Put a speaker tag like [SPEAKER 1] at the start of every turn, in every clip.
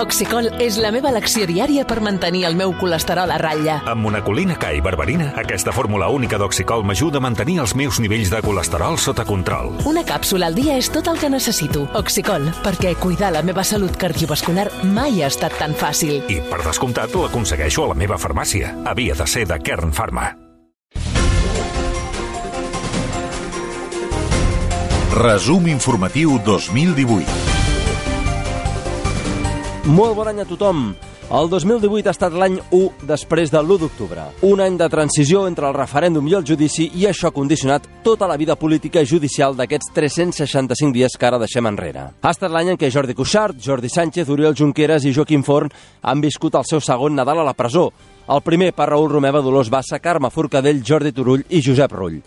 [SPEAKER 1] Oxicol és la meva elecció diària per mantenir el meu colesterol a ratlla.
[SPEAKER 2] Amb monacolina K i berberina, aquesta fórmula única d'Oxicol m'ajuda a mantenir els meus nivells de colesterol sota control.
[SPEAKER 1] Una càpsula al dia és tot el que necessito. Oxicol, perquè cuidar la meva salut cardiovascular mai ha estat tan fàcil.
[SPEAKER 2] I, per descomptat, l'aconsegueixo a la meva farmàcia. Havia de ser de Kern Pharma.
[SPEAKER 3] Resum informatiu 2018.
[SPEAKER 4] Molt bon any a tothom. El 2018 ha estat l'any 1 després de l'1 d'octubre. Un any de transició entre el referèndum i el judici, i això ha condicionat tota la vida política i judicial d'aquests 365 dies que ara deixem enrere. Ha estat l'any en què Jordi Cuixart, Jordi Sánchez, Oriol Junqueras i Joaquim Forn han viscut el seu segon Nadal a la presó. El primer per Raül Romeva, Dolors Bassa, Carme Forcadell, Jordi Turull i Josep Rull.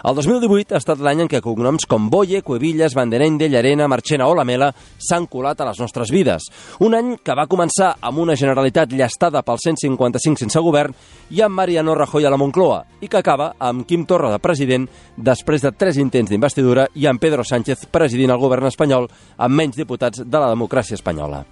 [SPEAKER 4] El 2018 ha estat l'any en què cognoms com Boye, Cuevillas, Vandenende, Llarena, Marchena o Lamela s'han colat a les nostres vides. Un any que va començar amb una Generalitat llastada pel 155 sense govern i amb Mariano Rajoy a la Moncloa, i que acaba amb Quim Torra de president després de 3 intents d'investidura i amb Pedro Sánchez presidint el govern espanyol amb menys diputats de la democràcia espanyola.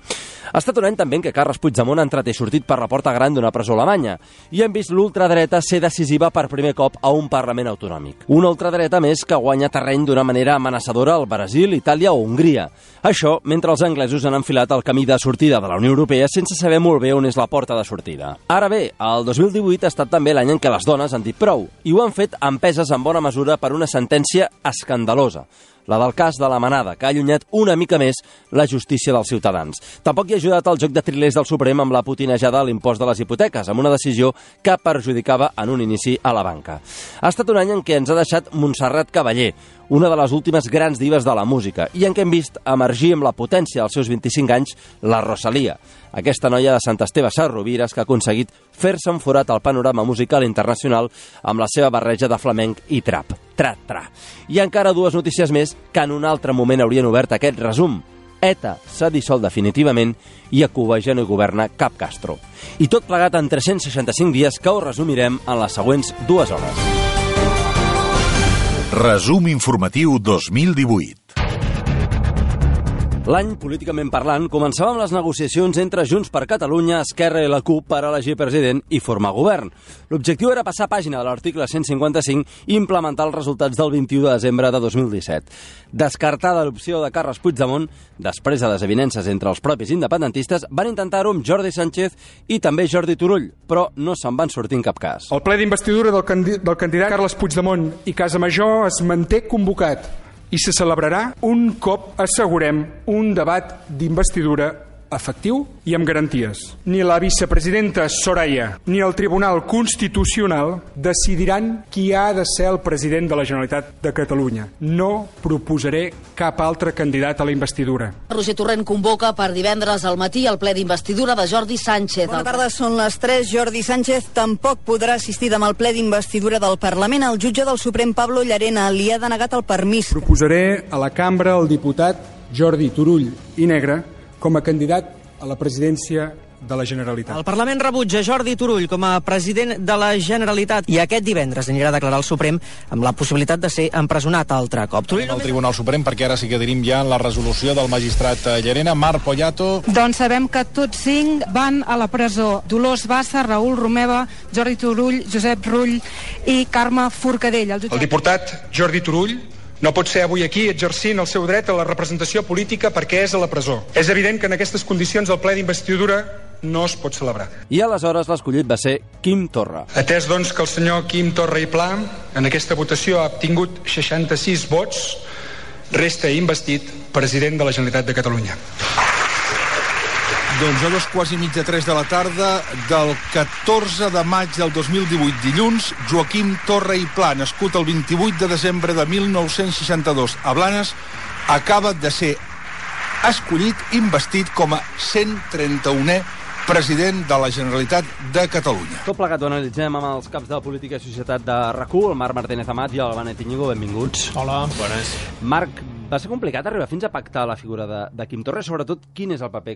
[SPEAKER 4] Ha estat un any també en què Carles Puigdemont ha entrat i sortit per la porta gran d'una presó alemanya i hem vist l'ultradreta ser decisiva per primer cop a un Parlament autonòmic. Una ultradreta més que guanya terreny d'una manera amenaçadora al Brasil, Itàlia o Hongria. Això mentre els anglesos han enfilat el camí de sortida de la Unió Europea sense saber molt bé on és la porta de sortida. Ara bé, el 2018 ha estat també l'any en què les dones han dit prou, i ho han fet empeses en bona mesura per una sentència escandalosa, la del cas de la Manada, que ha allunyat una mica més la justícia dels ciutadans. Tampoc hi ha ajudat el joc de trilers del Suprem amb la putinejada a l'impost de les hipoteques, amb una decisió que perjudicava en un inici a la banca. Ha estat un any en què ens ha deixat Montserrat Caballé, una de les últimes grans dives de la música, i en què hem vist emergir amb la potència als seus 25 anys la Rosalia, aquesta noia de Sant Esteve Sesrovires que ha aconseguit fer-se un forat al panorama musical internacional amb la seva barreja de flamenc i trap. Tra-tra. I encara 2 notícies més que en un altre moment haurien obert aquest resum. ETA s'ha dissolt definitivament i a Cuba ja no hi governa cap Castro. I tot plegat en 365 dies que ho resumirem en les següents 2 hores.
[SPEAKER 3] Resum informatiu 2018.
[SPEAKER 4] L'any, políticament parlant, començava amb les negociacions entre Junts per Catalunya, Esquerra i la CUP per elegir president i formar govern. L'objectiu era passar pàgina de l'article 155 i implementar els resultats del 21 de desembre de 2017. Descartada l'opció de Carles Puigdemont, després de desavinences entre els propis independentistes, van intentar-ho amb Jordi Sánchez i també Jordi Turull, però no se'n van sortir en cap cas.
[SPEAKER 5] El ple d'investidura del candidat Carles Puigdemont i Casa Major es manté convocat i se celebrarà un cop assegurem un debat d'investidura efectiu i amb garanties. Ni la vicepresidenta Soraya ni el Tribunal Constitucional decidiran qui ha de ser el president de la Generalitat de Catalunya. No proposaré cap altre candidat a la investidura.
[SPEAKER 6] Roger Torrent convoca per divendres al matí el ple d'investidura de Jordi Sánchez.
[SPEAKER 7] Bona tarda, són les 3. Jordi Sánchez tampoc podrà assistir demà al ple d'investidura del Parlament. El jutge del Suprem, Pablo Llarena, li ha denegat el permís.
[SPEAKER 5] Proposaré a la cambra el diputat Jordi Turull i Negre com a candidat a la presidència de la Generalitat.
[SPEAKER 8] El Parlament rebutja Jordi Turull com a president de la Generalitat i aquest divendres anirà a declarar al Suprem amb la possibilitat de ser empresonat altre cop.
[SPEAKER 9] El Tribunal Suprem, perquè ara sí que tenim ja la resolució del magistrat Llarena. Marc Poyato.
[SPEAKER 10] Doncs sabem que tots 5 van a la presó. Dolors Bassa, Raül Romeva, Jordi Turull, Josep Rull i Carme Forcadell.
[SPEAKER 5] El diputat Jordi Turull no pot ser avui aquí exercint el seu dret a la representació política perquè és a la presó. És evident que en aquestes condicions el ple d'investidura no es pot celebrar.
[SPEAKER 4] I aleshores l'escollit va ser Quim Torra.
[SPEAKER 5] Atès, doncs, que el senyor Quim Torra i Pla en aquesta votació ha obtingut 66 vots, resta investit president de la Generalitat de Catalunya.
[SPEAKER 9] Doncs a 2:15 de la tarda del 14 de maig del 2018, dilluns, Joaquim Torra i Pla, nascut el 28 de desembre de 1962 a Blanes, acaba de ser escollit, investit com a 131è president de la Generalitat de Catalunya.
[SPEAKER 4] Tot plegat ho analitzem amb els caps de política i societat de RAC1, el Marc Martínez Amat i el Benet Íñigo. Benvinguts.
[SPEAKER 11] Hola, bones.
[SPEAKER 4] Marc, va ser complicat arribar fins a pactar la figura de Quim Torra, sobretot quin és el paper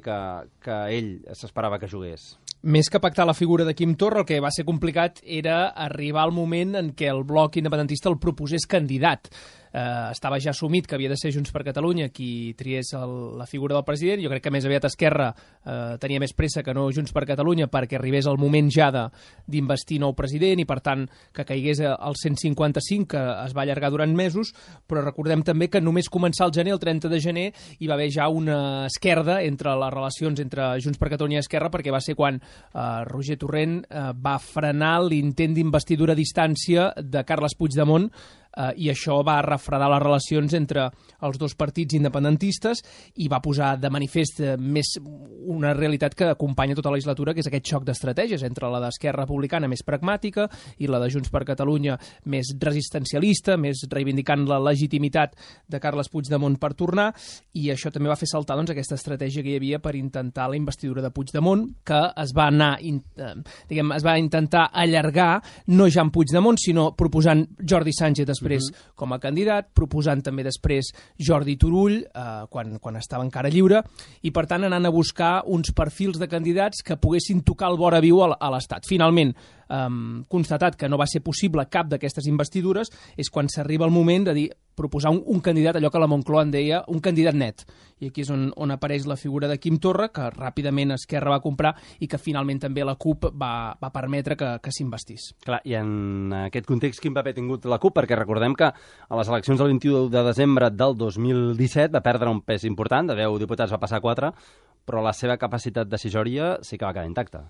[SPEAKER 4] que ell s'esperava que jugués?
[SPEAKER 11] Més que pactar la figura de Quim Torra, el que va ser complicat era arribar al moment en què el bloc independentista el proposés candidat. estava ja assumit que havia de ser Junts per Catalunya qui triés la figura del president. Jo crec que més aviat Esquerra tenia més pressa que no Junts per Catalunya perquè arribés el moment ja d'investir nou president i, per tant, que caigués al 155, que es va allargar durant mesos, però recordem també que només començar el gener, el 30 de gener, hi va haver ja una esquerda entre les relacions entre Junts per Catalunya i Esquerra, perquè va ser quan Roger Torrent va frenar l'intent d'investidura a distància de Carles Puigdemont, i això va refredar les relacions entre els dos partits independentistes i va posar de manifest més una realitat que acompanya tota la legislatura, que és aquest xoc d'estratègies entre la d'Esquerra Republicana més pragmàtica i la de Junts per Catalunya més resistencialista, més reivindicant la legitimitat de Carles Puigdemont per tornar, i això també va fer saltar aquesta estratègia que hi havia per intentar la investidura de Puigdemont, que es va intentar allargar no ja amb Puigdemont, sinó proposant Jordi Sánchez després com a candidat, proposant també després Jordi Turull, quan estava encara lliure, i per tant anant a buscar uns perfils de candidats que poguessin tocar el vora viu a l'Estat. Finalment, constatat que no va ser possible cap d'aquestes investidures, és quan s'arriba el moment de dir, proposar un candidat, allò que la Moncloa en deia un candidat net. I aquí és on apareix la figura de Quim Torra, que ràpidament Esquerra va comprar i que finalment també la CUP va permetre que s'investís.
[SPEAKER 4] Clar, i en aquest context quin paper ha tingut la CUP? Perquè recordem que a les eleccions del 21 de desembre del 2017 va perdre un pes important, de 10 diputats va passar a 4, però la seva capacitat decisòria sí que va quedar intacta.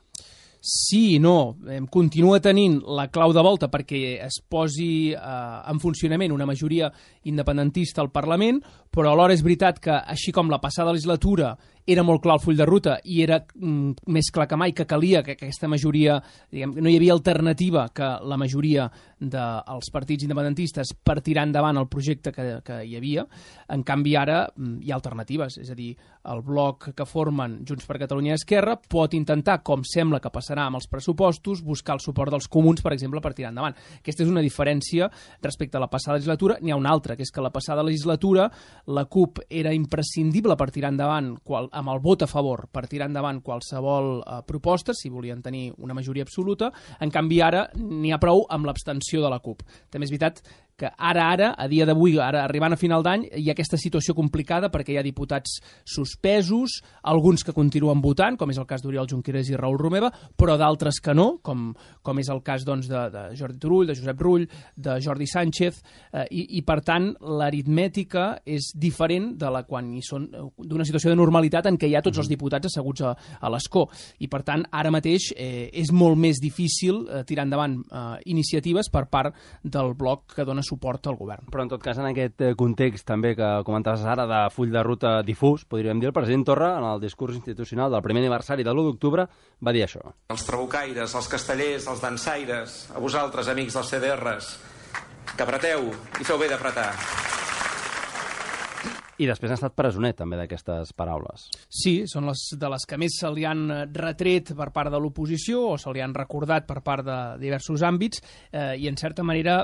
[SPEAKER 11] Sí i no. Continua tenint la clau de volta perquè es posi en funcionament una majoria independentista al Parlament, però alhora és veritat que, així com la passada legislatura era molt clar el full de ruta i era més clar que mai que calia que aquesta majoria, no hi havia alternativa que la majoria dels partits independentistes per tirar endavant el projecte que hi havia. En canvi, ara hi ha alternatives, és a dir, el bloc que formen Junts per Catalunya i Esquerra pot intentar, com sembla que passarà amb els pressupostos, buscar el suport dels comuns, per exemple, per tirar endavant. Aquesta és una diferència respecte a la passada legislatura. N'hi ha una altra, que és que la passada legislatura la CUP era imprescindible per tirar endavant amb el vot a favor per tirar endavant qualsevol proposta, si volien tenir una majoria absoluta. En canvi, ara n'hi ha prou amb l'abstenció de la CUP. També és veritat que ara, a dia d'avui, ara arribant a final d'any, hi ha aquesta situació complicada perquè hi ha diputats suspesos, alguns que continuen votant, com és el cas d'Oriol Junqueras i Raül Romeva, però d'altres que no, com és el cas de Jordi Turull, de Josep Rull, de Jordi Sánchez, i per tant l'aritmètica és diferent de la quan hi són d'una situació de normalitat en què hi ha tots els diputats asseguts a l'escó. I per tant, ara mateix és molt més difícil tirar endavant iniciatives per part del bloc que dona suport al govern.
[SPEAKER 4] Però en tot cas, en aquest context també que comentaves ara de full de ruta difús, podríem dir, el president Torra, en el discurs institucional del primer aniversari de l'1 d'octubre, va dir això.
[SPEAKER 12] Els trabucaires, els castellers, els dansaires, a vosaltres, amics dels CDRs, que apreteu i feu bé d'apretar.
[SPEAKER 4] I després ha estat presoner, també, d'aquestes paraules.
[SPEAKER 11] Sí, són de les que més se li han retret per part de l'oposició o se li han recordat per part de diversos àmbits i, en certa manera,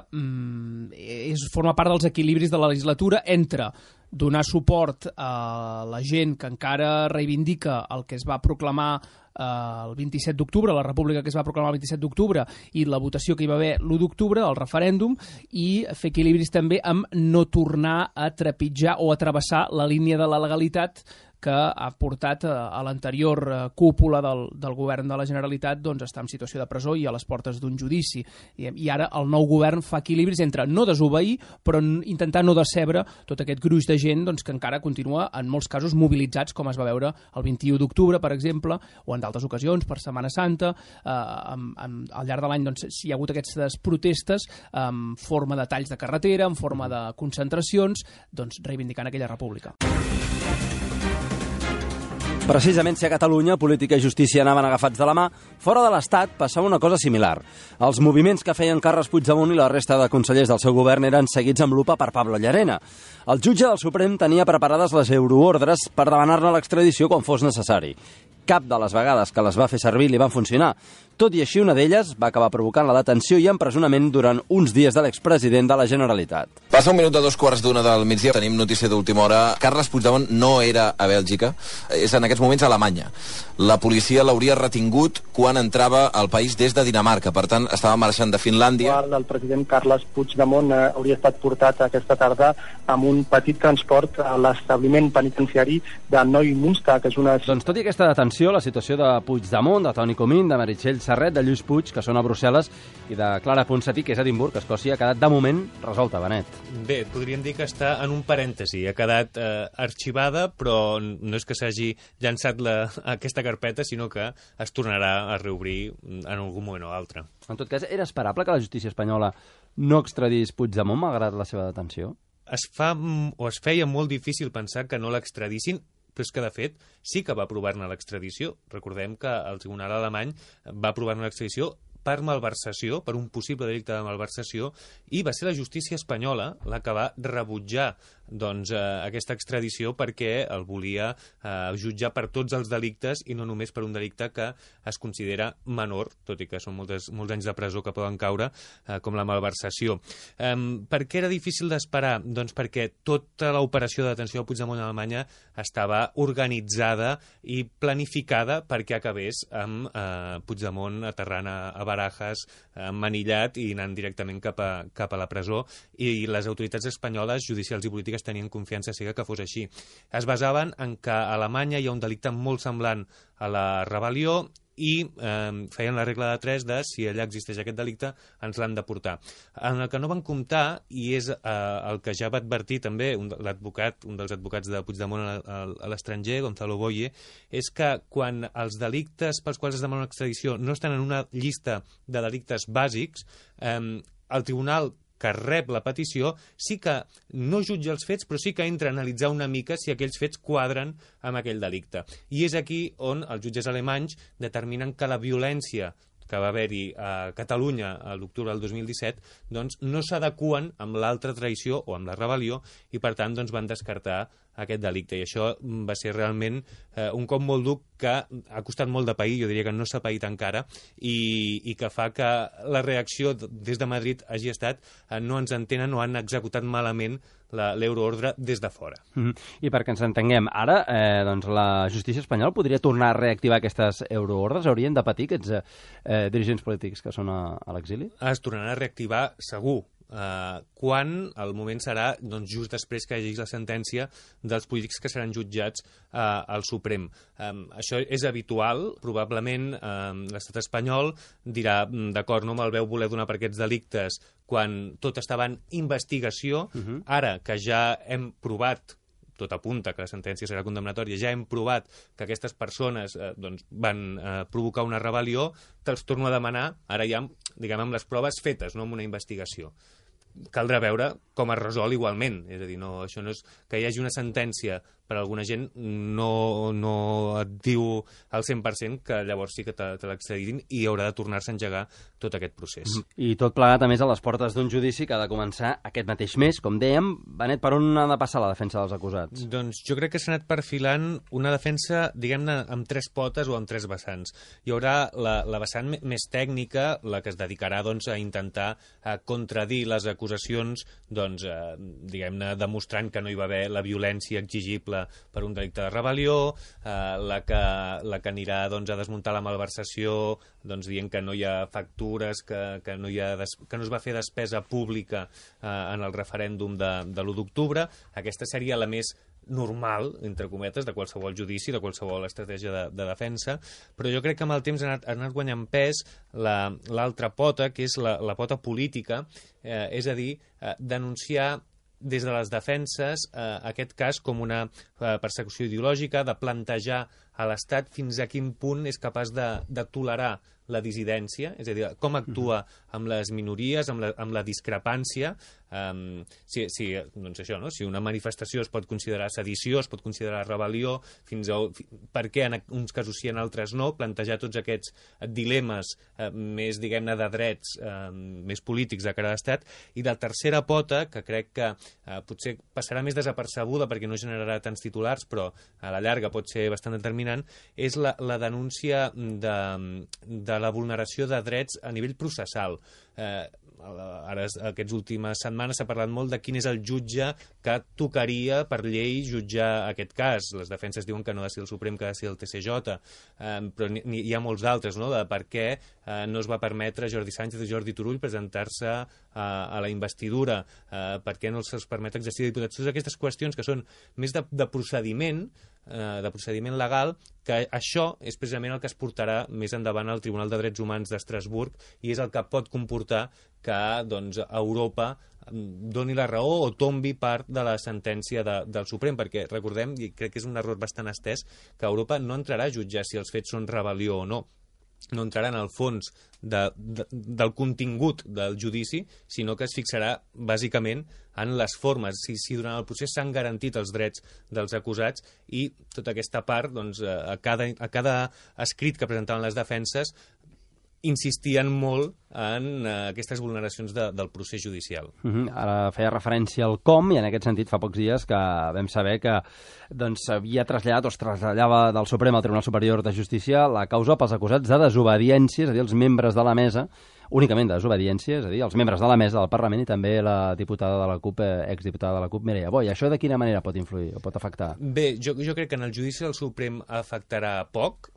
[SPEAKER 11] forma part dels equilibris de la legislatura entre donar suport a la gent que encara reivindica el que es va proclamar el 27 d'octubre, la república que es va proclamar el 27 d'octubre i la votació que hi va haver l'1 d'octubre, el referèndum, i fer equilibris també amb no tornar a trepitjar o a travessar la línia de la legalitat que ha portat a l'anterior cúpula del govern de la Generalitat doncs, estar en situació de presó i a les portes d'un judici. I ara el nou govern fa equilibris entre no desobeir, però intentar no decebre tot aquest gruix de gent doncs, que encara continua, en molts casos, mobilitzats, com es va veure el 21 d'octubre, per exemple, o en d'altres ocasions, per Setmana Santa. Al llarg de l'any doncs, hi ha hagut aquestes protestes en forma de talls de carretera, en forma de concentracions, doncs, reivindicant aquella república.
[SPEAKER 4] Precisament si a Catalunya política i justícia anaven agafats de la mà, fora de l'Estat passava una cosa similar. Els moviments que feien Carles Puigdemont i la resta de consellers del seu govern eren seguits amb lupa per Pablo Llarena. El jutge del Suprem tenia preparades les euroordres per demanar-ne l'extradició quan fos necessari. Cap de les vegades que les va fer servir li van funcionar. Tot i així, una d'elles va acabar provocant la detenció i empresonament durant uns dies de l'expresident de la Generalitat.
[SPEAKER 13] Passa un minut de 2:15 del migdia. Tenim notícia d'última hora. Carles Puigdemont no era a Bèlgica, és en aquests moments a Alemanya. La policia l'hauria retingut quan entrava al país des de Dinamarca, per tant estava marxant de Finlàndia.
[SPEAKER 14] El president Carles Puigdemont hauria estat portat aquesta tarda amb un petit transport a l'establiment penitenciari de Neumünster, que és una...
[SPEAKER 4] Doncs tot i aquesta detenció, la situació de Puigdemont, de Toni Comín, de Meritxell Serret, de Lluís Puig, que són a Brussel·les, i de Clara Ponsatí, que és a Edimburg, Escòcia, ha quedat de moment resolta, Benet.
[SPEAKER 15] Bé, podríem dir que està en un parèntesi. Ha quedat arxivada, però no és que s'hagi llançat aquesta carpeta, sinó que es tornarà a reobrir en algun moment o altre.
[SPEAKER 4] En tot cas, era esperable que la justícia espanyola no extradís Puigdemont, malgrat la seva detenció?
[SPEAKER 15] Es feia molt difícil pensar que no l'extradissin, però és que, de fet, sí que va aprovar-ne l'extradició. Recordem que el tribunal alemany va aprovar-ne l'extradició per malversació, per un possible delicte de malversació, i va ser la justícia espanyola la que va rebutjar aquesta extradició perquè el volia jutjar per tots els delictes i no només per un delicte que es considera menor, tot i que són molts anys de presó que poden caure, com la malversació. Per què era difícil d'esperar? Doncs perquè tota l'operació de detenció de Puigdemont a Alemanya estava organitzada i planificada perquè acabés amb Puigdemont aterrant a Barajas, manillat i anant directament cap a la presó, i les autoritats espanyoles, judicials i polítiques, tenien confiança cega que fos així. Es basaven en que a Alemanya hi ha un delicte molt semblant a la rebel·lió i feien la regla de 3 de si allà existeix aquest delicte ens l'han de portar. En el que no van comptar, i és el que ja va advertir també un dels advocats de Puigdemont a l'estranger, Gonzalo Boye, és que quan els delictes pels quals es demana una extradició no estan en una llista de delictes bàsics, el tribunal que rep la petició sí que no jutja els fets, però sí que entra a analitzar una mica si aquells fets quadren amb aquell delicte. I és aquí on els jutges alemanys determinen que la violència que va haver-hi a Catalunya a l'octubre del 2017 doncs no s'adeqüen amb l'altra traïció o amb la rebel·lió i per tant doncs van descartar aquest delicte, i això va ser realment un cop molt dur que ha costat molt de pair, jo diria que no s'ha paït encara, i que fa que la reacció des de Madrid hagi estat no ens entenen o han executat malament l'euroordre des de fora.
[SPEAKER 4] I perquè ens entenguem, ara doncs la justícia espanyola podria tornar a reactivar aquestes euroordres? Haurien de patir aquests dirigents polítics que són a l'exili?
[SPEAKER 15] Es tornaran a reactivar segur. Quan el moment serà doncs, just després que hi hagi la sentència dels polítics que seran jutjats al Suprem. Això és habitual, probablement l'estat espanyol dirà d'acord, no me'l veu voler donar per aquests delictes quan tot estava en investigació, ara que ja hem provat, tot apunta que la sentència serà condemnatòria, ja hem provat que aquestes persones van provocar una rebel·lió, te'ls torno a demanar, ara ja diguem amb les proves fetes, no amb una investigació. Caldrà veure com es resol igualment, és a dir, no, això no és que hi hagi una sentència per a alguna gent no et diu al 100% que llavors sí que te l'extraditin i haurà de tornar-se a engegar tot aquest procés.
[SPEAKER 4] I tot plegat, a més, a les portes d'un judici que ha de començar aquest mateix mes, com dèiem. Benet, per on ha de passar la defensa dels acusats?
[SPEAKER 15] Doncs jo crec que s'ha anat perfilant una defensa, diguem-ne, amb 3 potes o amb 3 vessants. Hi haurà la vessant més tècnica, la que es dedicarà doncs, a intentar contradir les acusacions, doncs, diguem-ne, demostrant que no hi va haver la violència exigible per un delicte de rebel·lió, la que anirà doncs, a desmuntar la malversació, doncs, dient que no hi ha factures, que no es va fer despesa pública en el referèndum de l'1 d'octubre. Aquesta seria la més normal, entre cometes, de qualsevol judici, de qualsevol estratègia de defensa, però jo crec que amb el temps ha anat guanyant pes l'altra pota, que és la pota política, és a dir, denunciar des de les defenses aquest cas com una persecució ideològica, de plantejar a l'Estat fins a quin punt és capaç de tolerar la dissidència, és a dir, com actua amb les minories, amb la discrepància. Doncs això, no? Si una manifestació es pot considerar sedició, es pot considerar rebel·lió, per què en uns casos sí, en altres no, plantejar tots aquests dilemes més, diguem-ne, de drets, més polítics de cara a l'Estat. I de tercera pota, que crec que potser passarà més desapercebuda perquè no generarà tants titulars, però a la llarga pot ser bastant determinant, és la denúncia de la vulneració de drets a nivell processal. ara aquestes últimes setmanes s'ha parlat molt de quin és el jutge que tocaria per llei jutjar aquest cas. Les defenses diuen que no ha de ser el Suprem, que ha de ser el TSJ, però hi ha molts d'altres, no?, de per què no es va permetre a Jordi Sánchez i Jordi Turull presentar-se a la investidura, per què no se'ls permet exercir de diputats. Totes aquestes qüestions que són més de procediment legal, que això és precisament el que es portarà més endavant al Tribunal de Drets Humans d'Estrasburg i és el que pot comportar que Europa doni la raó o tombi part de la sentència del Suprem, perquè recordem, i crec que és un error bastant estès, que Europa no entrarà a jutjar si els fets són rebel·lió o no. No entrarà en el fons del contingut del judici, sinó que es fixarà bàsicament en les formes, si durant el procés s'han garantit els drets dels acusats, i tota aquesta part, a cada escrit que presentaven les defenses, insistien molt en aquestes vulneracions del procés judicial.
[SPEAKER 4] Ara feia referència al com, i en aquest sentit fa pocs dies que vam saber que s'havia traslladat o es traslladava del Suprem al Tribunal Superior de Justícia la causa pels acusats de desobediència, és a dir, els membres de la mesa, únicament de desobediència, és a dir, els membres de la mesa del Parlament i també la diputada de la CUP, exdiputada de la CUP, Mireia Boy. Això de quina manera pot influir o pot afectar?
[SPEAKER 15] Bé, jo crec que en el judici del Suprem afectarà poc.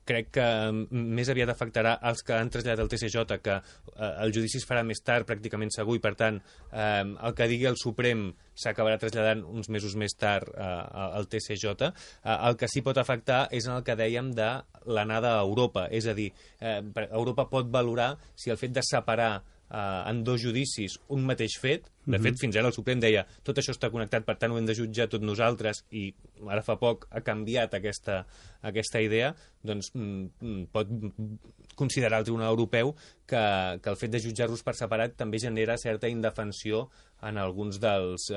[SPEAKER 15] Crec que més aviat afectarà els que han traslladat al TSJ, que el judici es farà més tard, pràcticament segur, i per tant el que digui el Suprem s'acabarà traslladant uns mesos més tard al TSJ. El que sí pot afectar és en el que dèiem de l'anada a Europa, és a dir, Europa pot valorar si el fet de separar en dos judicis un mateix fet, de fet fins ara el Suprem deia tot això està connectat, per tant ho hem de jutjar tots nosaltres, i ara fa poc ha canviat aquesta idea, doncs pot considerar el Tribunal Europeu que el fet de jutjar-los per separat també genera certa indefensió en alguns dels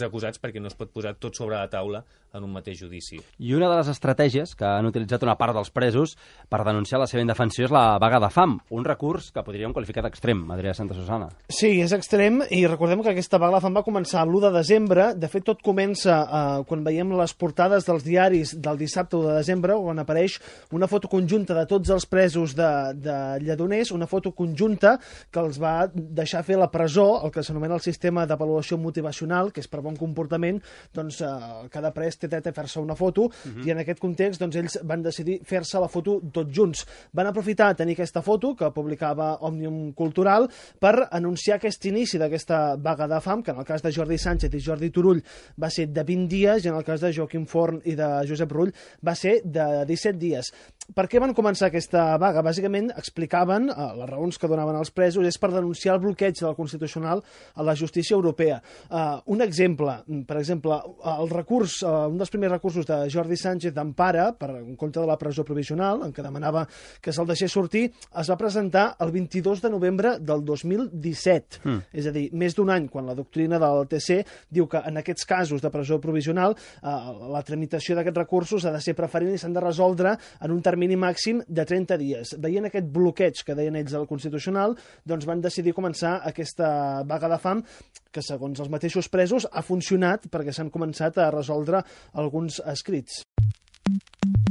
[SPEAKER 15] acusats, perquè no es pot posar tot sobre la taula en un mateix judici.
[SPEAKER 4] I una de les estratègies que han utilitzat una part dels presos per denunciar la seva indefensió és la vaga de fam, un recurs que podríem qualificar d'extrem, Adrià Santa Susana.
[SPEAKER 16] Sí, és extrem, i recordem que aquesta vaga de fam va començar l'1 de desembre. De fet, tot comença quan veiem les portades dels diaris del dissabte 1 de desembre, on apareix una foto conjunta de tots els presos de Lledoners, una foto conjunta que els va deixar fer la presó, el que s'anomena el sistema d'avaluació motivacional, que és per bon comportament, doncs cada pres té dret a fer-se una foto, i en aquest context doncs, ells van decidir fer-se la foto tots junts. Van aprofitar tenir aquesta foto que publicava Òmnium Cultural per anunciar aquest inici d'aquesta vaga de fam, que en el cas de Jordi Sánchez i Jordi Turull va ser de 20 dies, i en el cas de Joaquim Forn i de Josep Rull va ser de 17 dies. Per què van començar aquesta vaga? Bàsicament explicaven, les raons que donaven els presos, és per denunciar el bloqueig del Constitucional a la justícia europea. Un exemple, per exemple, el recurs, un dels primers recursos de Jordi Sánchez d'empara en contra de la presó provisional, en què demanava que se'l deixés sortir, es va presentar el 22 de novembre del 2017. És a dir, més d'un any, quan la doctrina del TC diu que en aquests casos de presó provisional la tramitació d'aquests recursos ha de ser preferent i s'han de resoldre en un termini màxim de 30 dies. Veient aquest bloqueig que deien ells del Constitucional, doncs van decidir començar aquesta vaga de fam, que segons els mateixos presos ha funcionat perquè s'han començat a resoldre alguns escrits.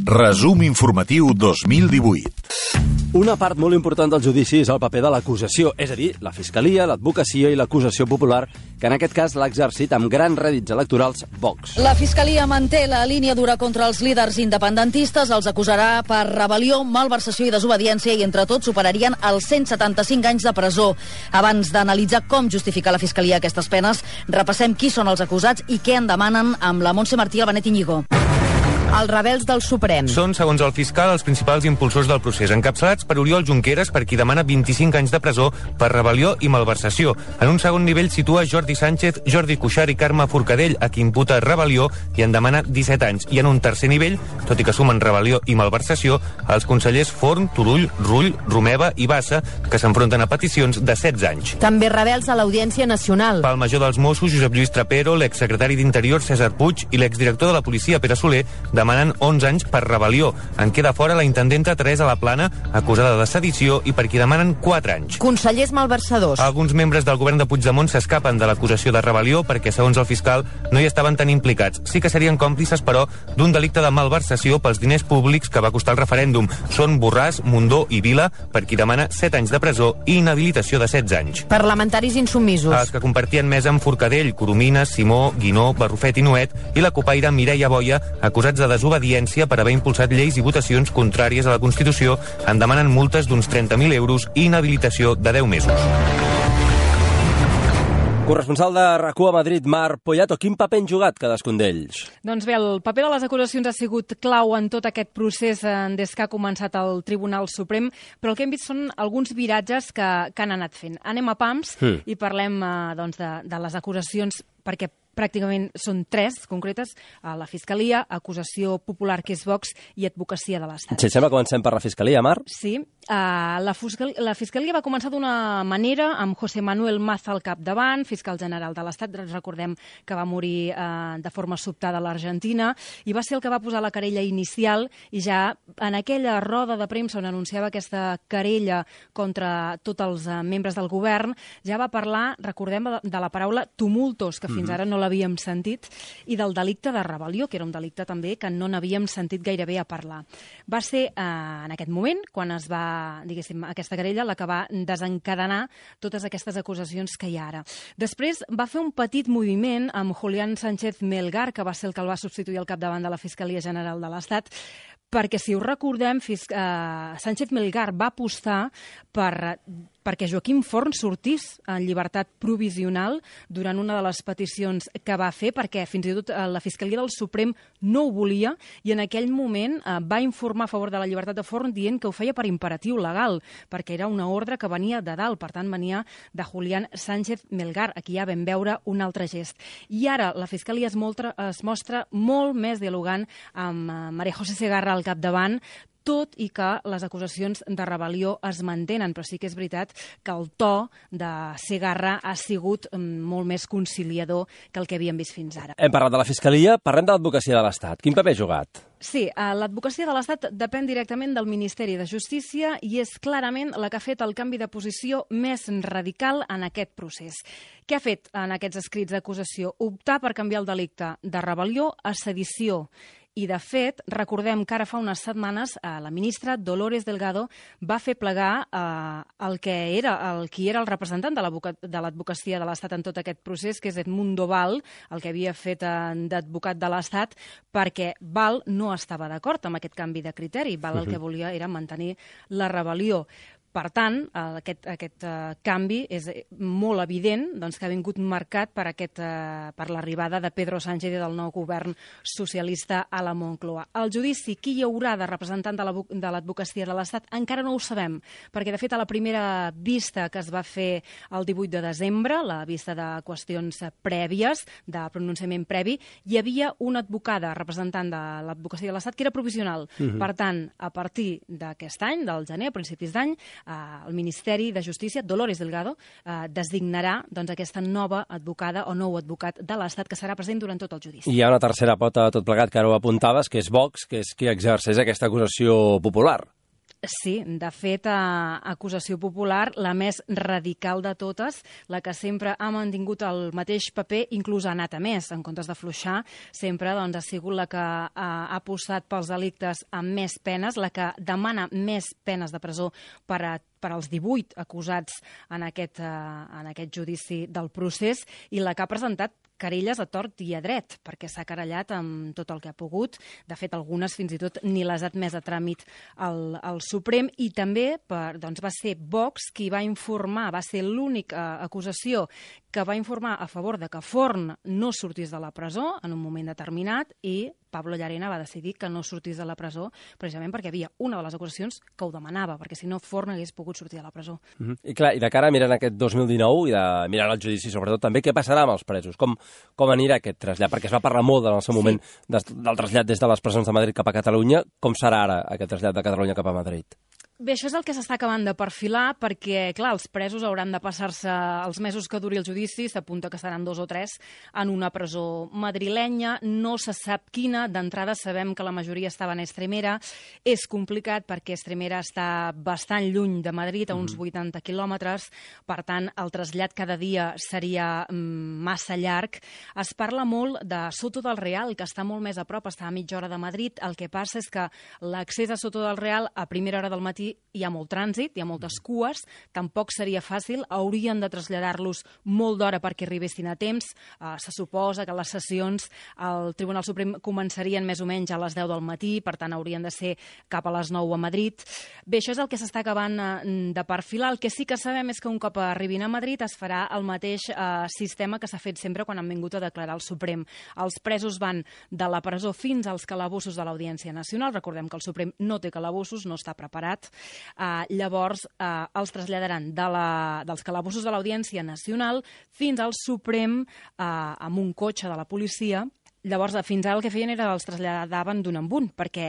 [SPEAKER 3] Resum informatiu 2018.
[SPEAKER 4] Una part molt important del judici és el paper de l'acusació, és a dir, la fiscalia, l'advocacia i l'acusació popular, que en aquest cas l'ha exercit amb grans rèdits electorals Vox.
[SPEAKER 6] La fiscalia manté la línia dura contra els líders independentistes, els acusarà per rebel·lió, malversació i desobediència, i entre tots superarien els 175 anys de presó. Abans d'analitzar com justifica la fiscalia aquestes penes, repassem qui són els acusats i què en demanen amb la Montse Martí i el Benet Íñigo.
[SPEAKER 17] Els rebels del Suprem.
[SPEAKER 15] Són, segons el fiscal, els principals impulsors del procés, encapçalats per Oriol Junqueras, per qui demana 25 anys de presó per rebel·lió i malversació. En un segon nivell situa Jordi Sánchez, Jordi Cuixart i Carme Forcadell, a qui imputa rebel·lió i en demana 17 anys. I en un tercer nivell, tot i que sumen rebel·lió i malversació, els consellers Forn, Turull, Rull, Romeva i Bassa, que s'enfronten a peticions de 16 anys.
[SPEAKER 17] També rebels a l'Audiència Nacional.
[SPEAKER 15] Pel major dels Mossos, Josep Lluís Trapero, l'exsecretari d'Interior, César Puig, i l'exdirector de la policia, Pere Soler, demanen 11 anys per rebel·lió. En queda fora la intendenta Teresa Laplana, acusada de sedició, i per qui demanen 4 anys.
[SPEAKER 17] Consellers malversadors.
[SPEAKER 15] Alguns membres del govern de Puigdemont s'escapen de l'acusació de rebel·lió perquè, segons el fiscal, no hi estaven tan implicats. Sí que serien còmplices, però, d'un delicte de malversació pels diners públics que va costar el referèndum. Són Borràs, Mundó i Vila, per qui demana 7 anys de presó i inhabilitació de 16 anys.
[SPEAKER 17] Parlamentaris insubmisos.
[SPEAKER 15] Els que compartien mesa amb Forcadell, Coromines, Simó, Guinó, Barrufet i Nuet, i la copaire Mireia Boia, acusats de desobediència per haver impulsat lleis i votacions contràries a la Constitució, en demanen multes d'uns 30.000 euros i inhabilitació de 10 mesos.
[SPEAKER 4] Corresponsal de RAC1 a Madrid, Mar Poyato, quin paper han jugat cadascun d'ells?
[SPEAKER 10] Doncs bé, el paper de les acusacions ha sigut clau en tot aquest procés des que ha començat el Tribunal Suprem, però el que hem vist són alguns viratges que han anat fent. Anem a pams i parlem de les acusacions, perquè pràcticament són 3 concretes: la Fiscalia, Acusació Popular, que és Vox, i Advocacia de l'Estat.
[SPEAKER 4] Si et sembla, comencem per la Fiscalia, Mar?
[SPEAKER 10] Sí. La Fiscalia va començar d'una manera, amb José Manuel Maza al capdavant, fiscal general de l'Estat. Recordem que va morir de forma sobtada a l'Argentina, i va ser el que va posar la querella inicial, i ja en aquella roda de premsa on anunciava aquesta querella contra tots els membres del govern, ja va parlar, recordem, de la paraula tumultos, que fins ara no l'havíem sentit, i del delicte de rebel·lió, que era un delicte també que no n'havíem sentit gairebé a parlar. Va ser en aquest moment, quan es va, diguéssim, aquesta querella, la que va desencadenar totes aquestes acusacions que hi ha ara. Després va fer un petit moviment amb Julián Sánchez Melgar, que va ser el que el va substituir al capdavant de la Fiscalia General de l'Estat, perquè, si us recordem, Sánchez Melgar va apostar perquè Joaquim Forn sortís en llibertat provisional durant una de les peticions que va fer, perquè fins i tot la Fiscalia del Suprem no ho volia, i en aquell moment va informar a favor de la llibertat de Forn dient que ho feia per imperatiu legal, perquè era una ordre que venia de dalt, per tant venia de Julián Sánchez Melgar. Aquí ja vam veure un altre gest. I ara la Fiscalia es mostra molt més dialogant amb María José Segarra al capdavant, tot i que les acusacions de rebel·lió es mantenen, però sí que és veritat que el to de Segarra ha sigut molt més conciliador que el que havíem vist fins ara.
[SPEAKER 4] Hem parlat de la Fiscalia, parlem de l'Advocacia de l'Estat. Quin paper ha jugat?
[SPEAKER 10] Sí, l'Advocacia de l'Estat depèn directament del Ministeri de Justícia i és clarament la que ha fet el canvi de posició més radical en aquest procés. Què ha fet en aquests escrits d'acusació? Optar per canviar el delicte de rebel·lió a sedició. I, de fet, recordem que ara fa unes setmanes la ministra Dolores Delgado va fer plegar qui era el representant de l'Advocacia de l'Estat en tot aquest procés, que és Edmundo Val, el que havia fet d'advocat de l'Estat, perquè Val no estava d'acord amb aquest canvi de criteri. Val el que volia era mantenir la rebel·lió. Per tant, aquest canvi és molt evident, que ha vingut marcat per l'arribada de Pedro Sánchez i del nou govern socialista a la Moncloa. El judici, qui hi haurà de representant de l'Advocacia de l'Estat, encara no ho sabem, perquè, de fet, a la primera vista que es va fer el 18 de desembre, la vista de qüestions prèvies, de pronunciament previ, hi havia una advocada representant de l'Advocacia de l'Estat que era provisional. Per tant, a partir d'aquest any, del gener, a principis d'any, el Ministeri de Justícia, Dolores Delgado, designarà aquesta nova advocada o nou advocat de l'Estat que serà present durant tot el judici.
[SPEAKER 4] I hi ha una tercera pota de tot plegat, que ara ho apuntaves, que és Vox, que és qui exerceix aquesta acusació popular.
[SPEAKER 10] Sí, de fet, acusació popular, la més radical de totes, la que sempre ha mantingut el mateix paper, inclús ha anat a més, en comptes d'afluixar, sempre ha sigut la que ha apostat pels delictes amb més penes, la que demana més penes de presó per als 18 acusats en aquest judici del procés, i la que ha presentat querelles a tort i a dret, perquè s'ha querellat amb tot el que ha pogut. De fet, algunes fins i tot ni les ha admès a tràmit al Suprem, i també va ser Vox qui va informar, va ser l'única acusació que va informar a favor de que Forn no sortís de la presó en un moment determinat, i Pablo Llarena va decidir que no sortís de la presó precisament perquè hi havia una de les acusacions que ho demanava, perquè si no Forn hagués pogut sortir de la presó.
[SPEAKER 4] I clar, i de cara mirant aquest 2019 i mirant el judici sobretot també, què passarà amb els presos? Com anirà aquest trasllat? Perquè es va parlar molt en el seu moment del trasllat des de les presons de Madrid cap a Catalunya. Com serà ara aquest trasllat de Catalunya cap a Madrid?
[SPEAKER 10] Bé, això és el que s'està acabant de perfilar perquè, clar, els presos hauran de passar-se els mesos que duri el judici, s'apunta que seran 2 o 3, en una presó madrilenya, no se sap quina, d'entrada sabem que la majoria estaven a Estremera, és complicat perquè Estremera està bastant lluny de Madrid, a uns 80 quilòmetres, per tant, el trasllat cada dia seria massa llarg. Es parla molt de Soto del Real, que està molt més a prop, està a mitja hora de Madrid, el que passa és que l'accés a Soto del Real a primera hora del matí hi ha molt trànsit, hi ha moltes cues, tampoc seria fàcil, haurien de traslladar-los molt d'hora perquè arribessin a temps. Se suposa que les sessions al Tribunal Suprem començarien més o menys a les 10 del matí, per tant haurien de ser cap a les 9 a Madrid. Bé, això és el que s'està acabant de perfilar. El que sí que sabem és que un cop arribin a Madrid es farà el mateix sistema que s'ha fet sempre quan han vingut a declarar al Suprem. Els presos van de la presó fins als calabossos de l'Audiència Nacional. Recordem que el Suprem no té calabossos, no està preparat. Llavors els traslladaran dels calabossos de l'Audiència Nacional fins al Suprem amb un cotxe de la policia. Llavors, fins ara el que feien era els traslladaven d'un en un, perquè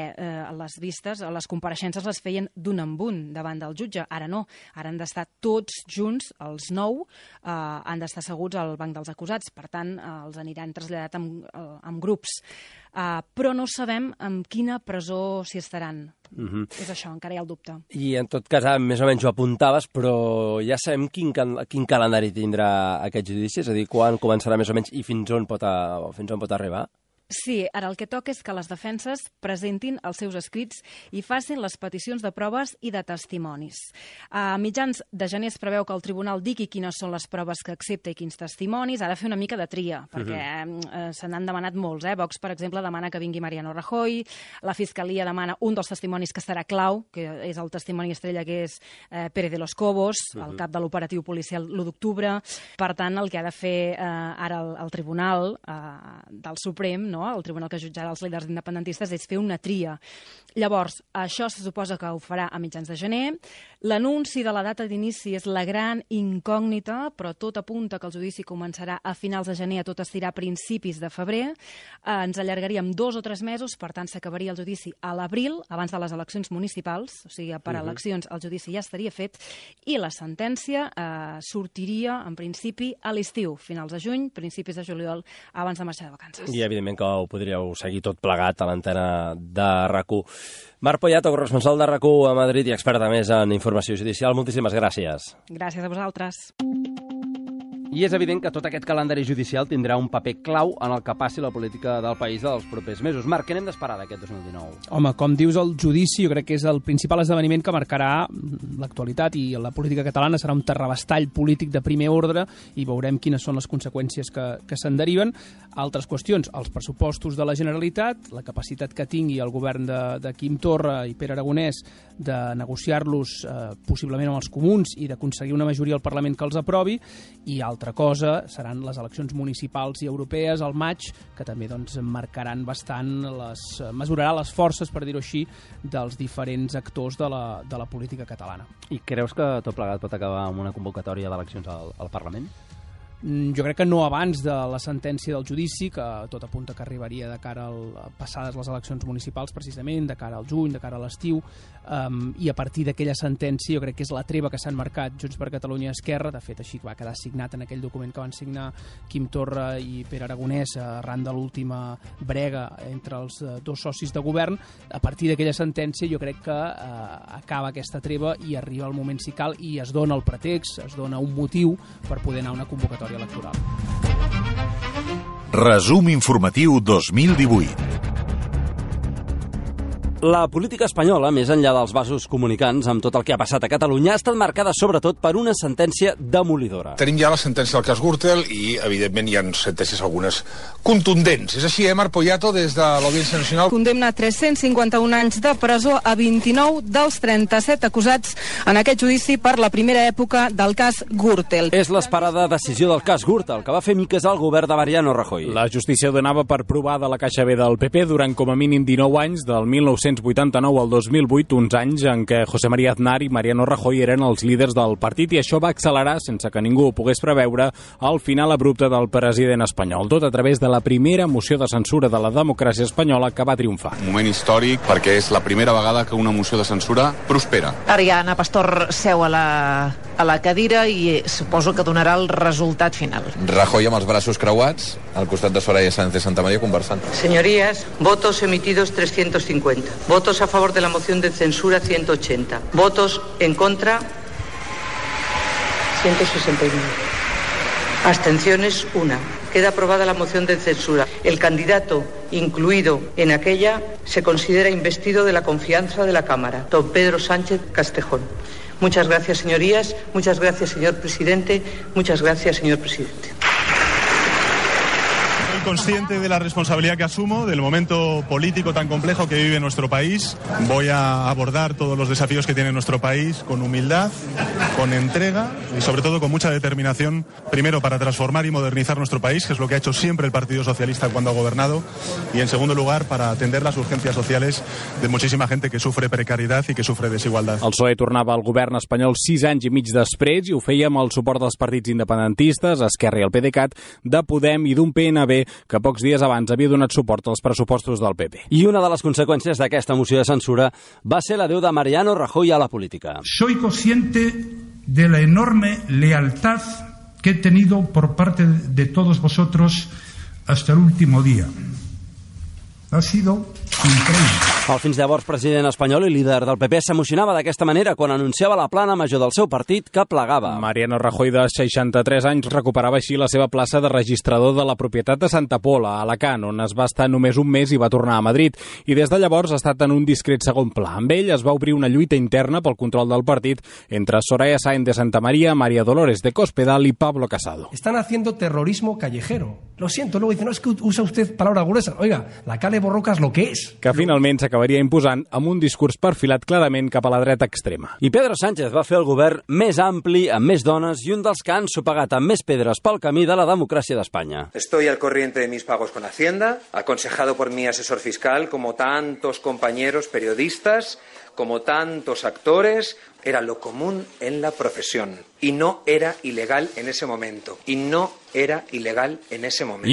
[SPEAKER 10] les vistes, les compareixences les feien d'un en un davant del jutge. Ara no, ara han d'estar tots junts, els 9, han d'estar asseguts al banc dels acusats, per tant, els aniran traslladat en grups. Però no sabem en quina presó s'hi estaran. És això, encara hi ha el dubte.
[SPEAKER 4] I en tot cas, més o menys ho apuntaves, però ja sabem quin calendari tindrà aquest judici, és a dir, quan començarà més o menys i fins on pot arribar?
[SPEAKER 10] Sí, ara el que toca és que les defenses presentin els seus escrits i facin les peticions de proves i de testimonis. A mitjans de gener es preveu que el tribunal digui quines són les proves que accepta i quins testimonis. Ha de fer una mica de tria, perquè se n'han demanat molts. Vox, per exemple, demana que vingui Mariano Rajoy, la Fiscalia demana un dels testimonis que serà clau, que és el testimoni estrella, que és Pérez de los Cobos, el cap de l'operatiu policial l'1 d'octubre. Per tant, el que ha de fer ara el tribunal del Suprem, no? El tribunal que jutjarà els líders independentistes, és fer una tria. Llavors, això se suposa que ho farà a mitjans de gener. L'anunci de la data d'inici és la gran incògnita, però tot apunta que el judici començarà a finals de gener, a tot estirar a principis de febrer. Ens allargaríem 2 o 3 mesos, per tant s'acabaria el judici a l'abril, abans de les eleccions municipals, o sigui, per eleccions el judici ja estaria fet, i la sentència sortiria, en principi, a l'estiu, finals de juny, principis de juliol, abans de marxar de vacances.
[SPEAKER 4] I evidentment que ho podríeu seguir tot plegat a l'antena de RAC1. Marc Poyato, corresponsal de RAC1 a Madrid i experta més en informació judicial, moltíssimes gràcies.
[SPEAKER 10] Gràcies a vosaltres.
[SPEAKER 4] I és evident que tot aquest calendari judicial tindrà un paper clau en el que passi la política del país dels propers mesos. Marc, què n'hem d'esperar d'aquest 2019?
[SPEAKER 11] Home, com dius, el judici jo crec que és el principal esdeveniment que marcarà l'actualitat, i la política catalana serà un terrabastall polític de primer ordre i veurem quines són les conseqüències que se'n deriven. Altres qüestions, els pressupostos de la Generalitat, la capacitat que tingui el govern de Quim Torra i Pere Aragonès de negociar-los possiblement amb els comuns i d'aconseguir una majoria al Parlament que els aprovi, i altra cosa seran les eleccions municipals i europees al maig, que també marcaran bastant, mesurarà les forces, per dir-ho així, dels diferents actors de la política catalana.
[SPEAKER 4] I creus que tot plegat pot acabar amb una convocatòria d'eleccions al Parlament?
[SPEAKER 11] Jo crec que no abans de la sentència del judici, que tot apunta que arribaria de cara a passades les eleccions municipals, precisament, de cara al juny, de cara a l'estiu, i a partir d'aquella sentència jo crec que és la treva que s'han marcat Junts per Catalunya i Esquerra. De fet, així va quedar signat en aquell document que van signar Quim Torra i Pere Aragonès arran de l'última brega entre els dos socis de govern. A partir d'aquella sentència jo crec que acaba aquesta treva i arriba el moment, si cal, i es dona el pretext, es dona un motiu per poder anar a una convocatòria electoral.
[SPEAKER 3] Resum informatiu 2018.
[SPEAKER 4] La política espanyola, més enllà dels vasos comunicants amb tot el que ha passat a Catalunya, ha estat marcada sobretot per una sentència demolidora.
[SPEAKER 9] Tenim ja la sentència del cas Gürtel i, evidentment, hi ha sentències algunes contundents. És així, Marc Poyato, des de l'Audiència Nacional.
[SPEAKER 18] Condemna 351 anys de presó a 29 dels 37 acusats en aquest judici per la primera època del cas Gürtel.
[SPEAKER 4] És l'esperada decisió del cas Gürtel, que va fer miques al govern de Mariano Rajoy.
[SPEAKER 19] La justícia donava per provada la caixa B del PP durant com a mínim 19 anys, del 19 1989 al 2008, uns anys en què José María Aznar i Mariano Rajoy eren els líders del partit, i això va accelerar, sense que ningú ho pogués preveure, el final abrupte del president espanyol, tot a través de la primera moció de censura de la democràcia espanyola que va triomfar.
[SPEAKER 20] Un moment històric perquè és la primera vegada que una moció de censura prospera.
[SPEAKER 21] Ara ja Ana Pastor seu a la cadira i suposo que donarà el resultat final.
[SPEAKER 13] Rajoy amb els braços creuats, al costat de Soraya Sáenz de Santamaría conversant.
[SPEAKER 22] Señorías, votos emitidos 350. Votos a favor de la moción de censura 180. Votos en contra 169. Abstenciones 1. Queda aprobada la moción de censura. El candidato incluido en aquella se considera investido de la confianza de la Cámara, don Pedro Sánchez Castejón. Muchas gracias, señorías. Muchas gracias, señor presidente. Muchas gracias, señor presidente.
[SPEAKER 23] Soy consciente de la responsabilidad que asumo, del momento político tan complejo que vive nuestro país. Voy a abordar todos los desafíos que tiene nuestro país con humildad, con entrega y sobre todo con mucha determinación, primero para transformar y modernizar nuestro país, que es lo que ha hecho siempre el Partido Socialista cuando ha gobernado, y en segundo lugar para atender las urgencias sociales de muchísima gente que sufre precariedad y que sufre desigualdad.
[SPEAKER 19] El PSOE tornava al govern espanyol 6 anys i mig després i ho feia amb el suport dels partits independentistes, Esquerra i el PDeCAT, de Podem i d'un PNB que pocs dies abans havia donat suport als pressupostos del PP.
[SPEAKER 4] I una de les conseqüències d'aquesta moció de censura va ser l'adeu de Mariano Rajoy a la política.
[SPEAKER 24] Soy consciente de la enorme lealtad que he tenido por parte de todos vosotros hasta el último día. Ha sido increïble.
[SPEAKER 4] El fins llavors president espanyol i líder del PP s'emocionava d'aquesta manera quan anunciava la plana major del seu partit que plegava.
[SPEAKER 19] Mariano Rajoy, de 63 anys, recuperava així la seva plaça de registrador de la propietat de Santa Pola, a Alacant, on es va estar només un mes i va tornar a Madrid. I des de llavors ha estat en un discret segon pla. Amb ell es va obrir una lluita interna pel control del partit entre Soraya Sáenz de Santamaría, María Dolores de Cospedal y Pablo Casado.
[SPEAKER 25] Están haciendo terrorismo callejero. Lo siento, luego dicen, no, es que usa usted palabras gruesas. Oiga, la Cale Borroca es lo que es.
[SPEAKER 19] Que finalment s'acabaria imposant amb un discurs perfilat clarament cap a la dreta extrema.
[SPEAKER 4] I Pedro Sánchez va fer el govern més ampli, amb més dones i un dels que han sopegat amb més pedres pel camí de la democràcia d'Espanya.
[SPEAKER 26] Estoy al corriente de mis pagos con Hacienda, aconsejado por mi asesor fiscal, como tantos compañeros periodistas, como tantos actores. Era lo común en la profesión y no era ilegal en ese momento. I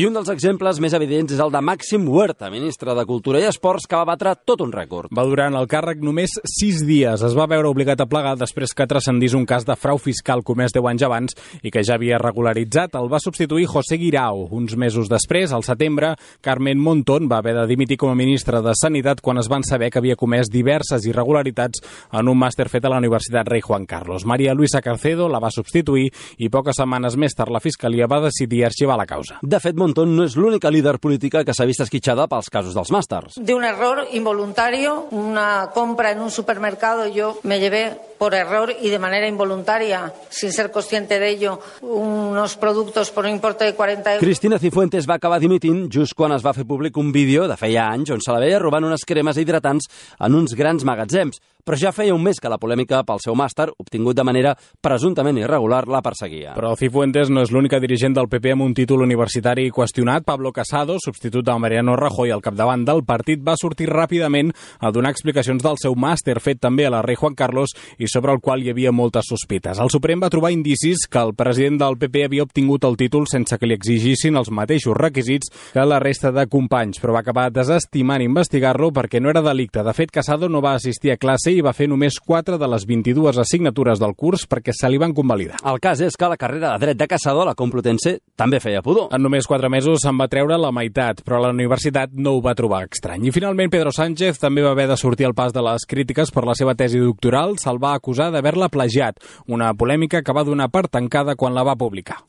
[SPEAKER 4] un dels exemples més evidents és el de Màxim Huerta, ministre de Cultura i Esports, que va batre tot un rècord.
[SPEAKER 19] Va durar en el càrrec només 6 dies. Es va veure obligat a plegar després que transcendís un cas de frau fiscal comès 10 anys abans i que ja havia regularitzat. El va substituir José Guirao. Uns mesos després, al setembre, Carmen Montón va haver de dimitir com a ministra de Sanitat quan es van saber que havia comès diverses irregularitats en un màster fet a la Universitat Rei Juan Carlos. María Luisa Carcedo la va substituir i poques setmanes més tard la Fiscalia va decidir arxivar la causa.
[SPEAKER 4] De fet, Montón no és l'única líder política que s'ha vist esquitxada pels casos dels màsters.
[SPEAKER 27] De un error involuntario, una compra en un supermercado, yo me llevé por error y de manera involuntaria, sin ser consciente de ello, unos productos por un importe de 40 euros.
[SPEAKER 4] Cristina Cifuentes va acabar dimitint just quan es va fer públic un vídeo de feia anys on se la veia robant unes cremes hidratants en uns grans magatzems. Però ja feia un mes que la polèmica pel seu màster, obtingut de manera presumptament irregular, la perseguia.
[SPEAKER 19] Però Cifuentes no és l'única dirigent del PP amb un títol universitari qüestionat. Pablo Casado, substitut de Mariano Rajoy al capdavant del partit, va sortir ràpidament a donar explicacions del seu màster, fet també a la Rei Juan Carlos i sobre el qual hi havia moltes sospites. El Suprem va trobar indicis que el president del PP havia obtingut el títol sense que li exigissin els mateixos requisits que la resta de companys, però va acabar desestimant investigar-lo perquè no era delicte. De fet, Casado no va assistir a classe i va fer només 4 de les 22 assignatures del curs perquè se li van convalidar.
[SPEAKER 4] El cas és que la carrera de dret de Casado a la Complutense també feia pudor.
[SPEAKER 19] En només 4 mesos se'n va treure la meitat, però la universitat no ho va trobar estrany. I finalment Pedro Sánchez també va haver de sortir al pas de les crítiques per la seva tesi doctoral. Se'l va acusar d'haver-la plagiat, una polèmica que va donar per tancada quan la va publicar.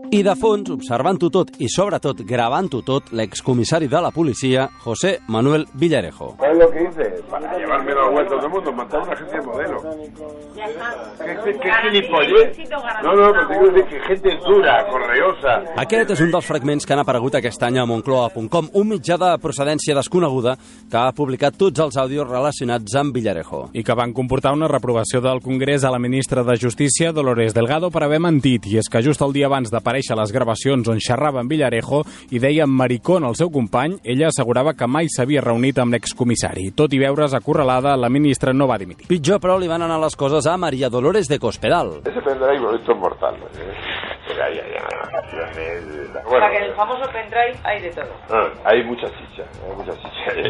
[SPEAKER 4] I de fons, observant-ho tot i sobretot gravant-ho tot, l'excomissari de la policia, José Manuel Villarejo.
[SPEAKER 28] ¿Sabes lo que dice? Para llevarme los vueltos del mundo, matar a una gente de modelo. ¿Qué gilipollez? No, pero tengo que decir que gente dura, correosa.
[SPEAKER 4] Aquest és un dels fragments que han aparegut aquest any a Moncloa.com, un mitjà de procedència desconeguda que ha publicat tots els àudios relacionats amb Villarejo.
[SPEAKER 19] I que van comportar una reprovació del Congrés a la ministra de Justícia, Dolores Delgado, per haver mentit. I és que just el dia abans d'aparèixer aparèixer les gravacions on xerrava amb Villarejo i deia maricón al seu company, ella assegurava que mai s'havia reunit amb l'excomissari. Tot i veure's acorralada, la ministra no va dimitir.
[SPEAKER 4] Pitjor, però, li van anar les coses a María Dolores de Cospedal.
[SPEAKER 28] Ese pendrive bonito es mortal.
[SPEAKER 22] Bueno, o sea, que en el famoso pendrive hay de todo.
[SPEAKER 28] Hay mucha chicha.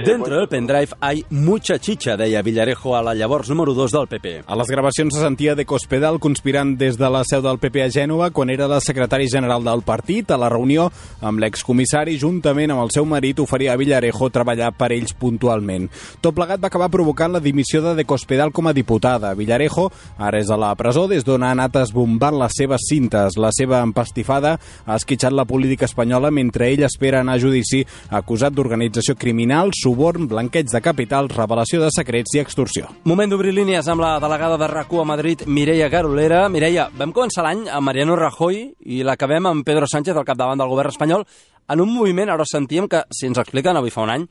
[SPEAKER 4] Dentro del pendrive hay mucha chicha, deia Villarejo a la llavors número 2 del PP.
[SPEAKER 19] A les gravacions se sentia de Cospedal conspirant des de la seu del PP a Gènova quan era la secretari general del partit. A la reunió amb l'excomissari, juntament amb el seu marit, oferia a Villarejo treballar per ells puntualment. Tot plegat va acabar provocant la dimissió de Cospedal com a diputada. Villarejo ara és a la presó des d'on ha anat esbombant les seves cintes. La seva empastifada ha esquitxat la política espanyola mentre ell espera anar a judici acusat d'organització criminal, suborn, blanqueig de capitals, revelació de secrets i extorsió.
[SPEAKER 4] Moment d'obrir línies amb la delegada de RAC1 a Madrid, Mireia Garolera. Mireia, vam començar l'any amb Mariano Rajoy i l'acabem amb Pedro Sánchez al capdavant del govern espanyol en un moviment, ara sentíem que, si ens expliquen avui fa un any,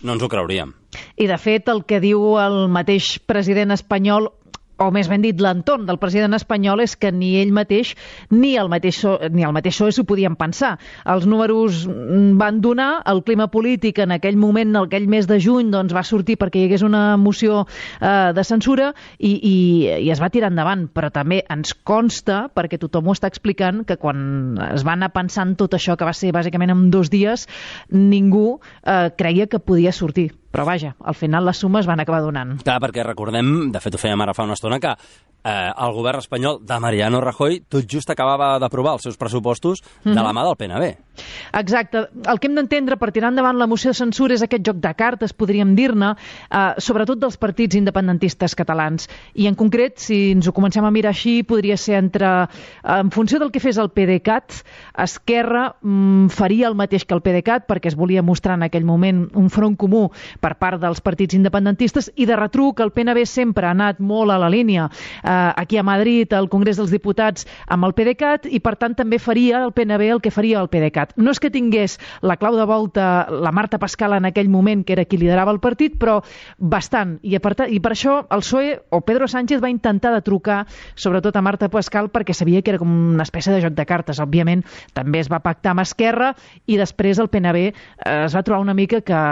[SPEAKER 4] no ens ho creuríem.
[SPEAKER 21] I, de fet, el que diu el mateix president espanyol, o més ben dit, l'entorn del president espanyol, és que ni ell mateix ni el mateix PSOE s'ho podien pensar. Els números van donar, el clima polític en aquell moment, en aquell mes de juny, doncs va sortir perquè hi hagués una moció de censura i es va tirar endavant. Però també ens consta, perquè tothom ho està explicant, que quan es va anar pensant tot això, que va ser bàsicament en 2 dies, ningú creia que podia sortir. Però vaja, al final les sumes van acabar donant.
[SPEAKER 4] Clar, perquè recordem, de fet ho fèiem ara fa una estona, que el govern espanyol de Mariano Rajoy tot just acabava d'aprovar els seus pressupostos de la mà del PNB.
[SPEAKER 21] Exacte. El que hem d'entendre per tirar endavant la moció de censura és aquest joc de cartes, podríem dir-ne, sobretot dels partits independentistes catalans. I en concret, si ens ho comencem a mirar així, podria ser en funció del que fes el PDeCAT, Esquerra faria el mateix que el PDeCAT, perquè es volia mostrar en aquell moment un front comú per part dels partits independentistes, i de retruc el PNB sempre ha anat molt a la línia aquí a Madrid, al Congrés dels Diputats, amb el PDeCAT, i per tant també faria el PNB el que faria el PDeCAT. No és que tingués la clau de volta la Marta Pascal en aquell moment, que era qui liderava el partit, però bastant. I per això el PSOE o Pedro Sánchez va intentar de trucar sobretot a Marta Pascal, perquè sabia que era com una espècie de joc de cartes. Òbviament també es va pactar amb Esquerra i després el PNB es va trobar una mica que,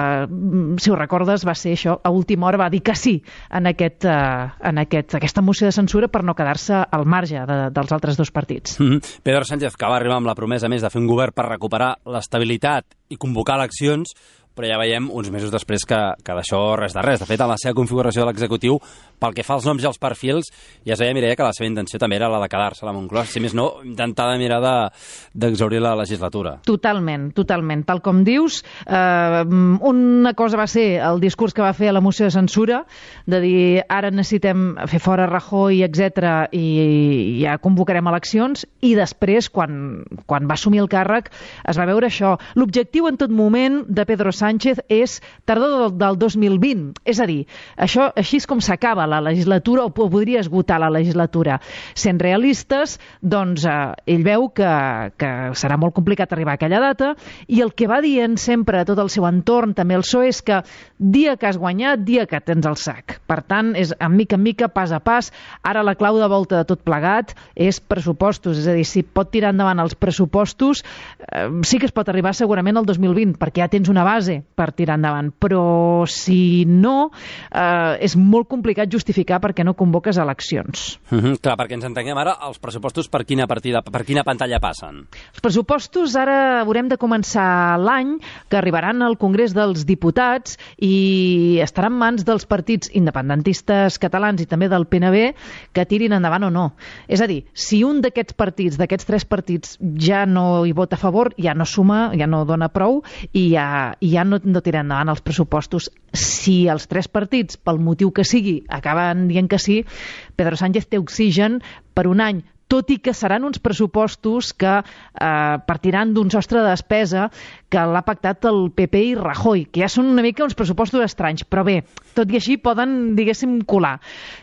[SPEAKER 21] si ho recordes, va ser això, a última hora va dir que sí en aquesta moció de censura per no quedar-se al marge dels altres 2 partits.
[SPEAKER 4] Pedro Sánchez, que va arribar amb la promesa més de fer un govern per recuperar l'estabilitat i convocar eleccions, però ja veiem uns mesos després que d'això res de res. De fet, en la seva configuració de l'executiu, pel que fa als noms i als perfils, ja es veia, Mireia, que la seva intenció també era la de quedar-se a la Moncloa. Si més no, intentar de mirar d'exhaurir la legislatura.
[SPEAKER 21] Totalment. Tal com dius, una cosa va ser el discurs que va fer a la moció de censura, de dir ara necessitem fer fora Rajoy, etc., i ja convocarem eleccions, i després, quan va assumir el càrrec, es va veure això. L'objectiu en tot moment de Pedro Sánchez és tardor del 2020. És a dir, això així és com s'acaba la legislatura, o podria esgotar la legislatura. Sent realistes, doncs ell veu que serà molt complicat arribar a aquella data, i el que va dient sempre a tot el seu entorn, també el PSOE, és que dia que has guanyat, dia que tens el sac. Per tant, és en mica, pas a pas. Ara la clau de volta de tot plegat és pressupostos. És a dir, si pot tirar endavant els pressupostos, sí que es pot arribar segurament al 2020, perquè ja tens una base per tirar endavant. Però si no, és molt complicat justificar perquè no convoques eleccions.
[SPEAKER 4] Clar, perquè ens entenguem ara, els pressupostos per quina pantalla passen?
[SPEAKER 21] Els pressupostos ara haurem de començar l'any, que arribaran al Congrés dels Diputats i estaran en mans dels partits independentistes catalans i també del PNB que tirin endavant o no. És a dir, si un d'aquests partits, d'aquests 3 partits, ja no hi vota a favor, ja no suma, ja no dona prou i ja no tira endavant els pressupostos. Si els 3 partits, pel motiu que sigui, acaben dient que sí, Pedro Sánchez té oxigen per un any, tot i que seran uns pressupostos que partiran d'un sostre de despesa que l'ha pactat el PP i Rajoy, que ja són una mica uns pressupostos estranys, però bé, tot i així poden, diguéssim, colar.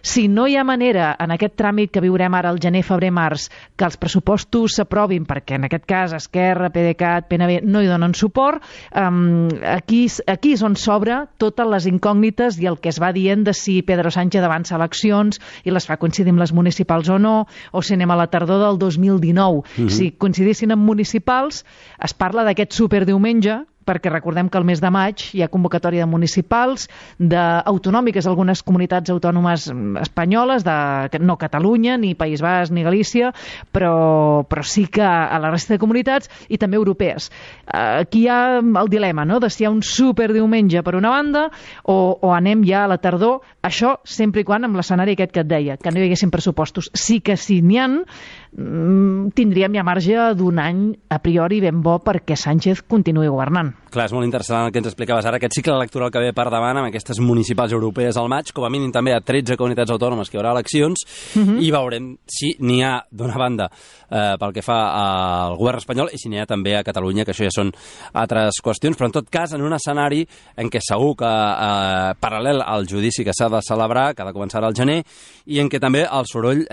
[SPEAKER 21] Si no hi ha manera, en aquest tràmit que viurem ara al gener, febrer, març, que els pressupostos s'aprovin, perquè en aquest cas Esquerra, PDeCAT, PNB no hi donen suport, aquí és on s'obre totes les incògnites i el que es va dient de si Pedro Sánchez avança eleccions i les fa coincidir amb les municipals o no, o si anem a la tardor del 2019. Si coincidissin amb municipals, es parla d'aquest superdiumenge, perquè recordem que el mes de maig hi ha convocatòria de municipals, d'autonòmiques, algunes comunitats autònomes espanyoles, no Catalunya, ni País Basc, ni Galícia, però sí que a la resta de comunitats i també europees. Aquí hi ha el dilema, no?, de si hi ha un superdiumenge per una banda o anem ja a la tardor, això sempre i quan amb l'escenari aquest que et deia, que no hi haguessin pressupostos. Sí que si n'hi ha, tindríem ja marge d'un any a priori ben bo perquè Sánchez continuï governant.
[SPEAKER 4] Clar, és molt interessant el que ens explicaves ara, aquest cicle electoral que ve per davant amb aquestes municipals europees al maig, com a mínim també a 13 comunitats autònomes que hi haurà eleccions, i veurem si n'hi ha, d'una banda, pel que fa al govern espanyol, i si n'hi ha també a Catalunya, que això ja són altres qüestions, però en tot cas en un escenari en què segur que paral·lel al judici que s'ha de celebrar, que ha de començar al gener, i en què també el soroll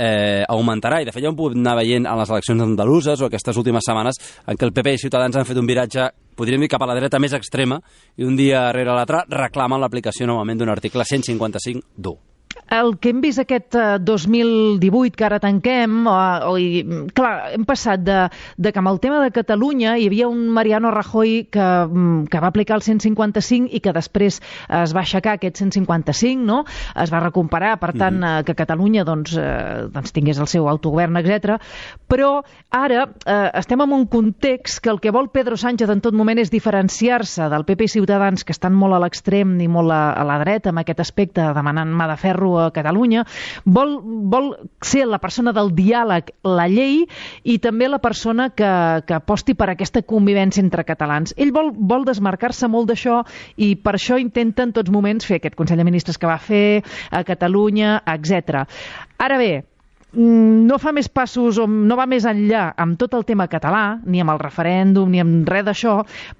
[SPEAKER 4] augmentarà, i de fet ja ho podem anar veient en les eleccions andaluses o aquestes últimes setmanes en què el PP i Ciutadans han fet un viratge, podríem dir, cap a la dreta més extrema, i un dia rere l'altre reclamen l'aplicació novament d'un article 155
[SPEAKER 21] El que hem vist aquest 2018 que ara tanquem, clar, hem passat de que amb el tema de Catalunya hi havia un Mariano Rajoy que va aplicar el 155 i que després es va aixecar aquest 155, no? Es va recuperar, per tant, que Catalunya doncs tingués el seu autogovern, etc. Però ara estem en un context que el que vol Pedro Sánchez en tot moment és diferenciar-se del PP i Ciutadans, que estan molt a l'extrem i molt a la dreta amb aquest aspecte, demanant mà de ferro a Catalunya, vol ser la persona del diàleg, la llei, i també la persona que aposti per aquesta convivència entre catalans. Ell vol desmarcar-se molt d'això i per això intenta en tots moments fer aquest Consell de Ministres que va fer a Catalunya, etc. Ara bé, no fa més passos o no va més enllà amb tot el tema català, ni amb el referèndum, ni amb res d'això,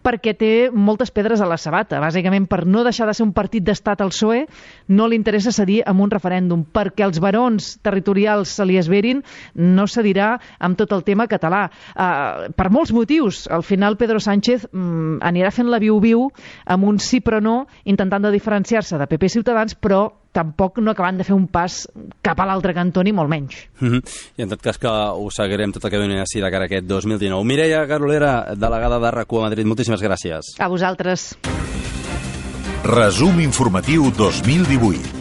[SPEAKER 21] perquè té moltes pedres a la sabata. Bàsicament, per no deixar de ser un partit d'estat al PSOE, no li interessa cedir amb un referèndum, perquè els barons territorials se li esverin, no cedirà amb tot el tema català. Per molts motius. Al final, Pedro Sánchez anirà fent la viu-viu amb un sí però no, intentant de diferenciar-se de PP i Ciutadans, però tampoc no acabant de fer un pas cap a l'altre cantó, ni molt menys.
[SPEAKER 4] I en tot cas que ho seguirem tot el que doni així de cara a aquest 2019. Mireia Carolera, delegada de RAC1 a Madrid, moltíssimes gràcies.
[SPEAKER 21] A vosaltres.
[SPEAKER 3] Resum informatiu 2018.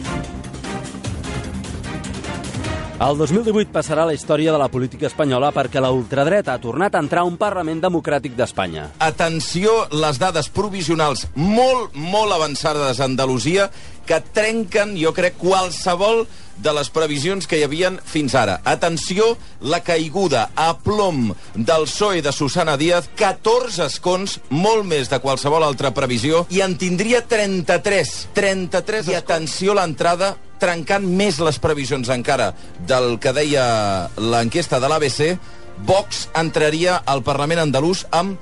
[SPEAKER 4] El 2018 passarà a la història de la política espanyola perquè la ultradreta ha tornat a entrar a un Parlament democràtic d'Espanya.
[SPEAKER 13] Atenció, les dades provisionals molt avançades a Andalusia que trenquen, jo crec, qualsevol de les previsions que hi havien fins ara. Atenció, la caiguda a plom del PSOE de Susana Díaz, 14 escons, molt més de qualsevol altra previsió, i en tindria 33. 33 i atenció, l'entrada trencant més les previsions encara del que deia l'enquesta de l'ABC, Vox entraria al Parlament andalús amb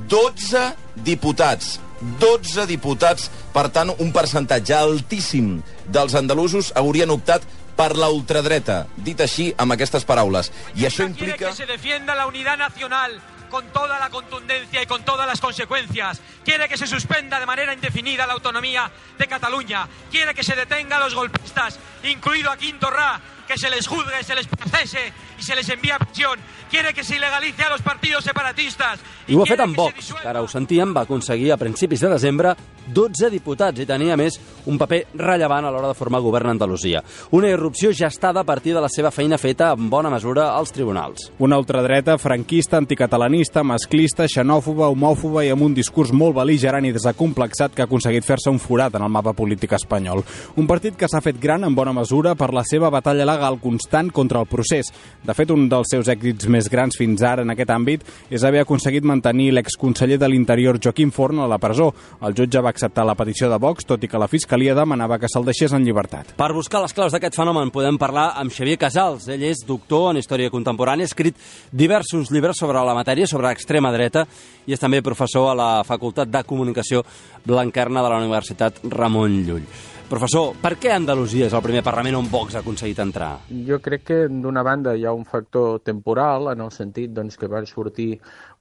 [SPEAKER 13] 12 diputats. 12 diputats, per tant, un percentatge altíssim dels andalusos haurien optat per la ultradreta, dit així amb aquestes paraules. I això implica...
[SPEAKER 1] Quiere que se defienda la unidad nacional con toda la contundencia y con todas las consecuencias. Quiere que se suspenda de manera indefinida la autonomía de Cataluña. Quiere que se detenga a los golpistas, incluido a Quim Torra, que se les juzgue, se les procese y se les envía a prisión. Quiere que se ilegalice a los partidos separatistas.
[SPEAKER 4] I ho ha fet amb Vox, que ara ho sentíem, va aconseguir a principis de desembre 12 diputats i tenia, més, un paper rellevant a l'hora de formar govern a Andalusia. Una irrupció gestada a partir de la seva feina feta en bona mesura als tribunals.
[SPEAKER 19] Una ultradreta franquista, anticatalanista, masclista, xenòfoba, homòfoba i amb un discurs molt bel·ligerant i desacomplexat que ha aconseguit fer-se un forat en el mapa polític espanyol. Un partit que s'ha fet gran en bona mesura per la seva batalla legal il·legal constant contra el procés. De fet, un dels seus èxits més grans fins ara en aquest àmbit és haver aconseguit mantenir l'exconseller de l'Interior Joaquim Forn a la presó. El jutge va acceptar la petició de Vox, tot i que la Fiscalia demanava que se'l deixés en llibertat.
[SPEAKER 4] Per buscar les claus d'aquest fenomen podem parlar amb Xavier Casals. Ell és doctor en Història Contemporània, ha escrit diversos llibres sobre la matèria, sobre extrema dreta, i és també professor a la Facultat de Comunicació Blanquerna de la Universitat Ramon Llull. Professor, per què Andalusia és el primer Parlament on Vox ha aconseguit entrar?
[SPEAKER 2] Jo crec que, d'una banda, hi ha un factor temporal, en el sentit que va sortir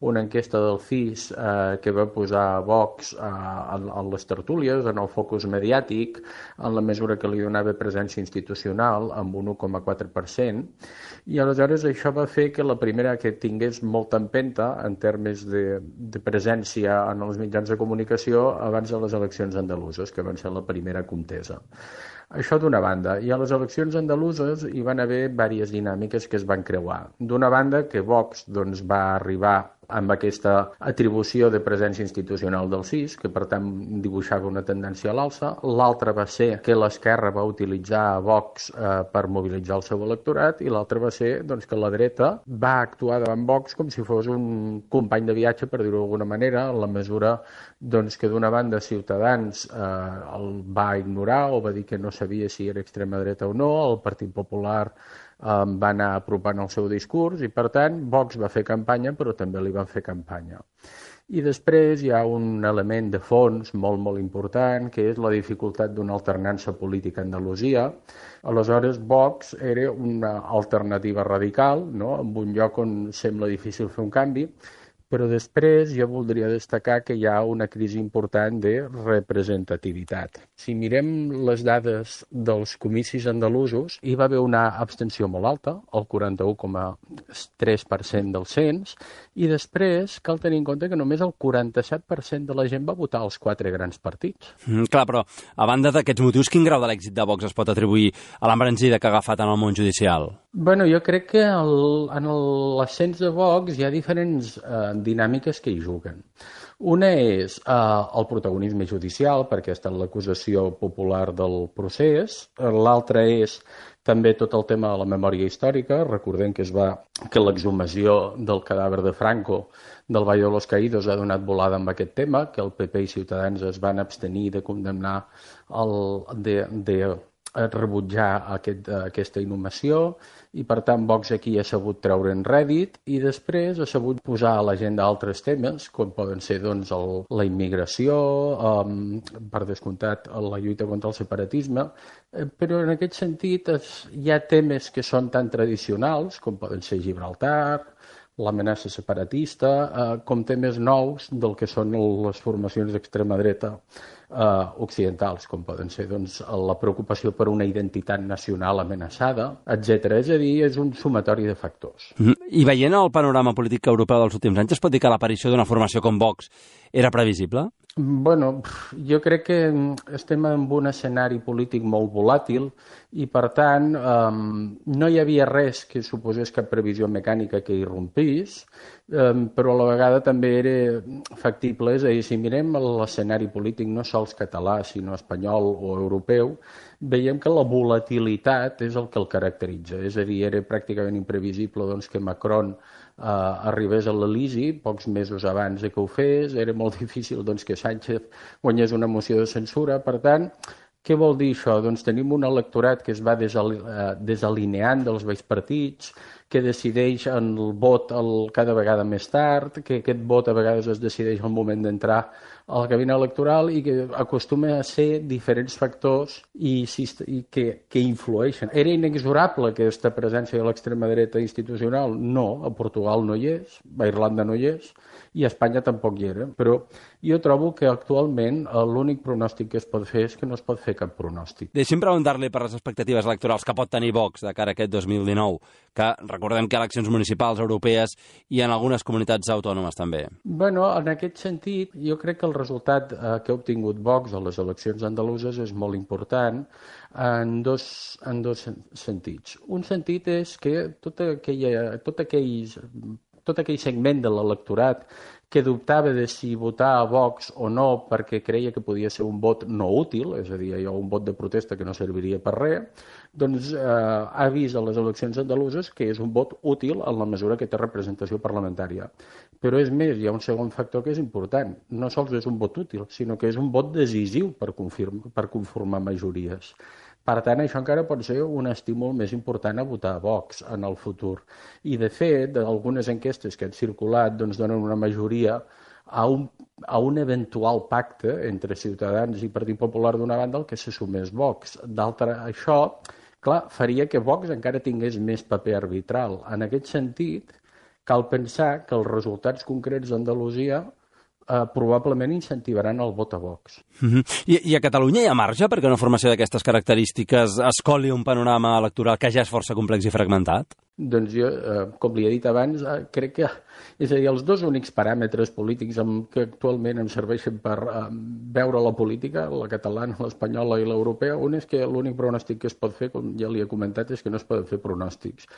[SPEAKER 2] una enquesta del CIS que va posar Vox a les tertúlies, en el focus mediàtic, en la mesura que li donava presència institucional, amb un 1,4%, i aleshores això va fer que la primera que tingués molta empenta en termes de presència en els mitjans de comunicació abans de les eleccions andaluses, que van ser la primera contesa. Això d'una banda. I a les eleccions andaluses hi van haver diverses dinàmiques que es van creuar. D'una banda, que Vox va arribar amb aquesta atribució de presència institucional del CIS, que per tant dibuixava una tendència a l'alça. L'altra va ser que l'esquerra va utilitzar Vox per mobilitzar el seu electorat, i l'altra va ser que la dreta va actuar davant Vox com si fos un company de viatge, per dir-ho d'alguna manera, en la mesura que d'una banda Ciutadans el va ignorar o va dir que no sabia si era extrema dreta o no, el Partit Popular va anar apropant el seu discurs i, per tant, Vox va fer campanya, però també li van fer campanya. I després hi ha un element de fons molt, molt important, que és la dificultat d'una alternança política a Andalusia. Aleshores, Vox era una alternativa radical, no?, en un lloc on sembla difícil fer un canvi, però després jo voldria destacar que hi ha una crisi important de representativitat. Si mirem les dades dels comicis andalusos, hi va haver una abstenció molt alta, el 41,3% del cens, i després cal tenir en compte que només el 47% de la gent va votar els 4 grans partits.
[SPEAKER 4] Clar, però a banda d'aquests motius, quin grau de l'èxit de Vox es pot atribuir a l'embranzida que ha agafat en el món judicial?
[SPEAKER 2] Bueno, jo crec que en l'ascens de Vox hi ha diferents dinàmiques que hi juguen. Una és el protagonisme judicial, perquè ha estat l'acusació popular del procés. L'altra és també tot el tema de la memòria històrica. Recordem que l'exhumació del cadàver de Franco del Valle de los Caídos ha donat volada amb aquest tema, que el PP i Ciutadans es van abstenir de condemnar, de rebutjar aquesta inhumació, i per tant Vox aquí ha sabut treure en rèdit i després ha sabut posar a l'agenda altres temes, com poden ser la immigració, per descomptat la lluita contra el separatisme, però en aquest sentit hi ha temes que són tan tradicionals com poden ser Gibraltar, l'amenaça separatista, com temes nous del que són les formacions d'extrema dreta occidentals, com poden ser la preocupació per una identitat nacional amenaçada, etc. És a dir, és un sumatori de factors.
[SPEAKER 4] I veient el panorama polític europeu dels últims anys, es pot dir que l'aparició d'una formació com Vox era previsible?
[SPEAKER 2] Bueno, jo crec que estem en un escenari polític molt volàtil i, per tant, no hi havia res que suposés cap previsió mecànica que irrompís, però a la vegada també era factible. És a dir, si mirem l'escenari polític no sols català, sinó espanyol o europeu, veiem que la volatilitat és el que el caracteritza. És a dir, era pràcticament imprevisible que Macron arribés a l'Elisi pocs mesos abans que ho fes, era molt difícil que Sánchez guanyés una moció de censura. Per tant, què vol dir això? Tenim un electorat que es va desalineant dels vells partits, que decideix en el vot cada vegada més tard, que aquest vot a vegades es decideix al moment d'entrar a la cabina electoral i que acostuma a ser diferents factors i que influeixen. Era inexorable aquesta presència de l'extrema dreta institucional? No, a Portugal no hi és, a Irlanda no hi és i a Espanya tampoc hi era. Però jo trobo que actualment l'únic pronòstic que es pot fer és que no es pot fer cap pronòstic.
[SPEAKER 4] Deixi'm preguntar-li per les expectatives electorals que pot tenir Vox de cara a aquest 2019, que recordem que eleccions municipals, europees i en algunes comunitats autònomes també.
[SPEAKER 2] Bueno, en aquest sentit, jo crec que el resultat que ha obtingut Vox a les eleccions andaluses és molt important en dos sentits. Un sentit és que tot aquell segment de l'electorat que dubtava de si votar a Vox o no perquè creia que podia ser un vot no útil, és a dir, un vot de protesta que no serviria per res, doncs ha vist a les eleccions andaluses que és un vot útil en la mesura que té representació parlamentària. Però és més, hi ha un segon factor que és important. No sols és un vot útil, sinó que és un vot decisiu per conformar majories. Per tant, això encara pot ser un estímul més important a votar a Vox en el futur. I, de fet, algunes enquestes que han circulat doncs, donen una majoria a un eventual pacte entre Ciutadans i Partit Popular d'una banda al que se sumés Vox. D'altra, això, clar, faria que Vox encara tingués més paper arbitral. En aquest sentit, cal pensar que els resultats concrets d'Andalusia probablement incentivaran el vot a Vox.
[SPEAKER 4] I a Catalunya hi ha marge perquè una formació d'aquestes característiques escoli un panorama electoral que ja és força complex i fragmentat?
[SPEAKER 2] Doncs jo, com li he dit abans, crec que, és a dir, els dos únics paràmetres polítics que actualment em serveixen per veure la política, la catalana, l'espanyola i l'europea, un és que l'únic pronòstic que es pot fer, com ja li he comentat, és que no es poden fer pronòstics.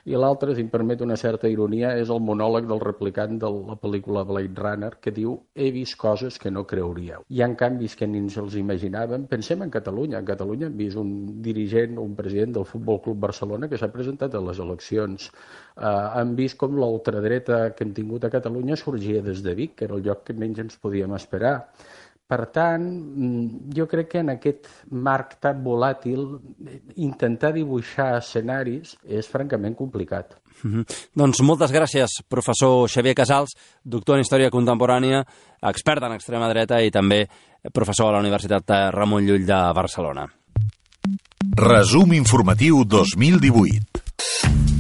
[SPEAKER 2] I l'altre, si em permet una certa ironia, és el monòleg del replicant de la pel·lícula Blade Runner, que diu: he vist coses que no creuríeu. Hi ha canvis que ni ens els imaginàvem. Pensem en Catalunya. En Catalunya hem vist un dirigent, un president del Futbol Club Barcelona que s'ha presentat a les eleccions. Hem vist com la ultradreta que hem tingut a Catalunya sorgia des de Vic, que era el lloc que menys ens podíem esperar. Per tant, jo crec que en aquest marc tan volàtil intentar dibuixar escenaris és francament complicat.
[SPEAKER 4] Doncs moltes gràcies, professor Xavier Casals, doctor en Història Contemporània, expert en extrema dreta i també professor a la Universitat Ramon Llull de Barcelona.
[SPEAKER 3] Resum informatiu 2018.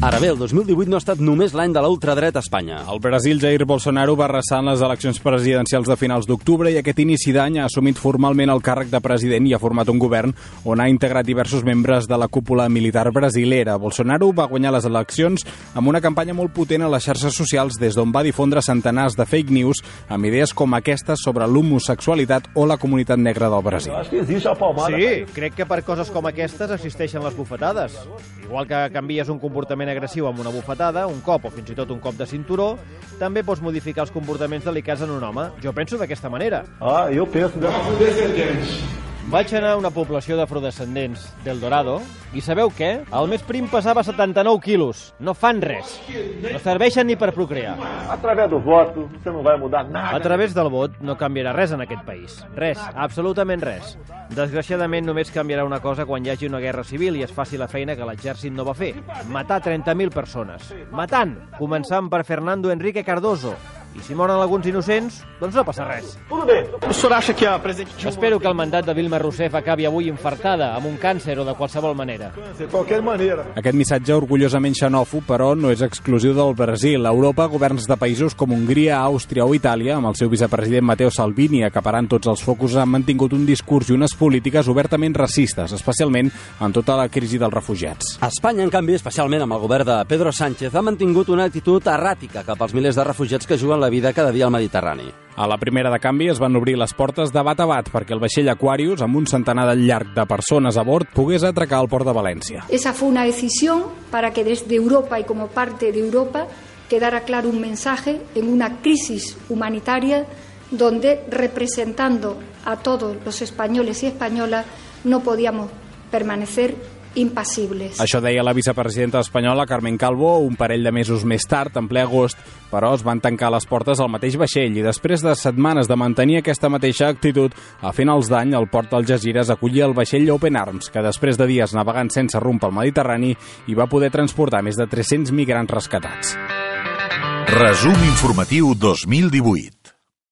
[SPEAKER 4] Ara bé, el 2018 no ha estat només l'any de la ultradreta a Espanya.
[SPEAKER 19] El Brasil, Jair Bolsonaro va arrasar en les eleccions presidencials de finals d'octubre i aquest inici d'any ha assumit formalment el càrrec de president i ha format un govern on ha integrat diversos membres de la cúpula militar brasilera. Bolsonaro va guanyar les eleccions amb una campanya molt potent a les xarxes socials des d'on va difondre centenars de fake news amb idees com aquestes sobre l'homosexualitat o la comunitat negra del Brasil.
[SPEAKER 5] Sí, crec que per coses com aquestes existeixen les bufetades. Igual que canvies un comportament agressiu amb una bufetada, un cop o fins i tot un cop de cinturó, també pots modificar els comportaments delicats en un home. Jo penso d'aquesta manera.
[SPEAKER 6] Jo penso
[SPEAKER 5] Vaig anar a una població d'afrodescendents del Dorado i sabeu què? El més prim pesava 79 quilos. No fan res. No serveixen ni per procrear.
[SPEAKER 6] A través del vot, você no vai mudar nada.
[SPEAKER 5] A través del vot no canviarà res en aquest país. Res, absolutament res. Desgraciadament només canviarà una cosa quan hi hagi una guerra civil i es faci la feina que l'exèrcit no va fer. Matar 30.000 persones. Matant! Començant per Fernando Enrique Cardoso. I si moren alguns innocents, doncs no passa res. Espero que el mandat de Dilma Rousseff acabi avui infartada, amb un càncer o de qualsevol manera.
[SPEAKER 19] Aquest missatge orgullosament xenòfob, però no és exclusiu del Brasil. A Europa, governs de països com Hongria, Àustria o Itàlia, amb el seu vicepresident Matteo Salvini acaparant tots els focus, han mantingut un discurs i unes polítiques obertament racistes, especialment en tota la crisi dels refugiats.
[SPEAKER 4] Espanya, en canvi, especialment amb el govern de Pedro Sánchez, ha mantingut una actitud erràtica cap als milers de refugiats que juguen la vida cada dia al Mediterrani.
[SPEAKER 19] A la primera de canvi es van obrir les portes de bat a bat perquè el vaixell Aquarius, amb un centenar de llarg de persones a bord, pogués atracar al port de València.
[SPEAKER 7] Esa fue una decisión para que desde Europa y como parte de Europa quedara claro un mensaje en una crisis humanitaria donde, representando a todos los españoles y españolas, no podíamos permanecer impassibles.
[SPEAKER 19] Això deia la vicepresidenta espanyola Carmen Calvo un parell de mesos més tard, en ple agost, però es van tancar les portes al mateix vaixell i després de setmanes de mantenir aquesta mateixa actitud, a finals d'any el port d'Algesires acollia el vaixell Open Arms, que després de dies navegant sense rumb pel Mediterrani hi va poder transportar més de 300 migrants rescatats.
[SPEAKER 3] Resum informatiu 2018.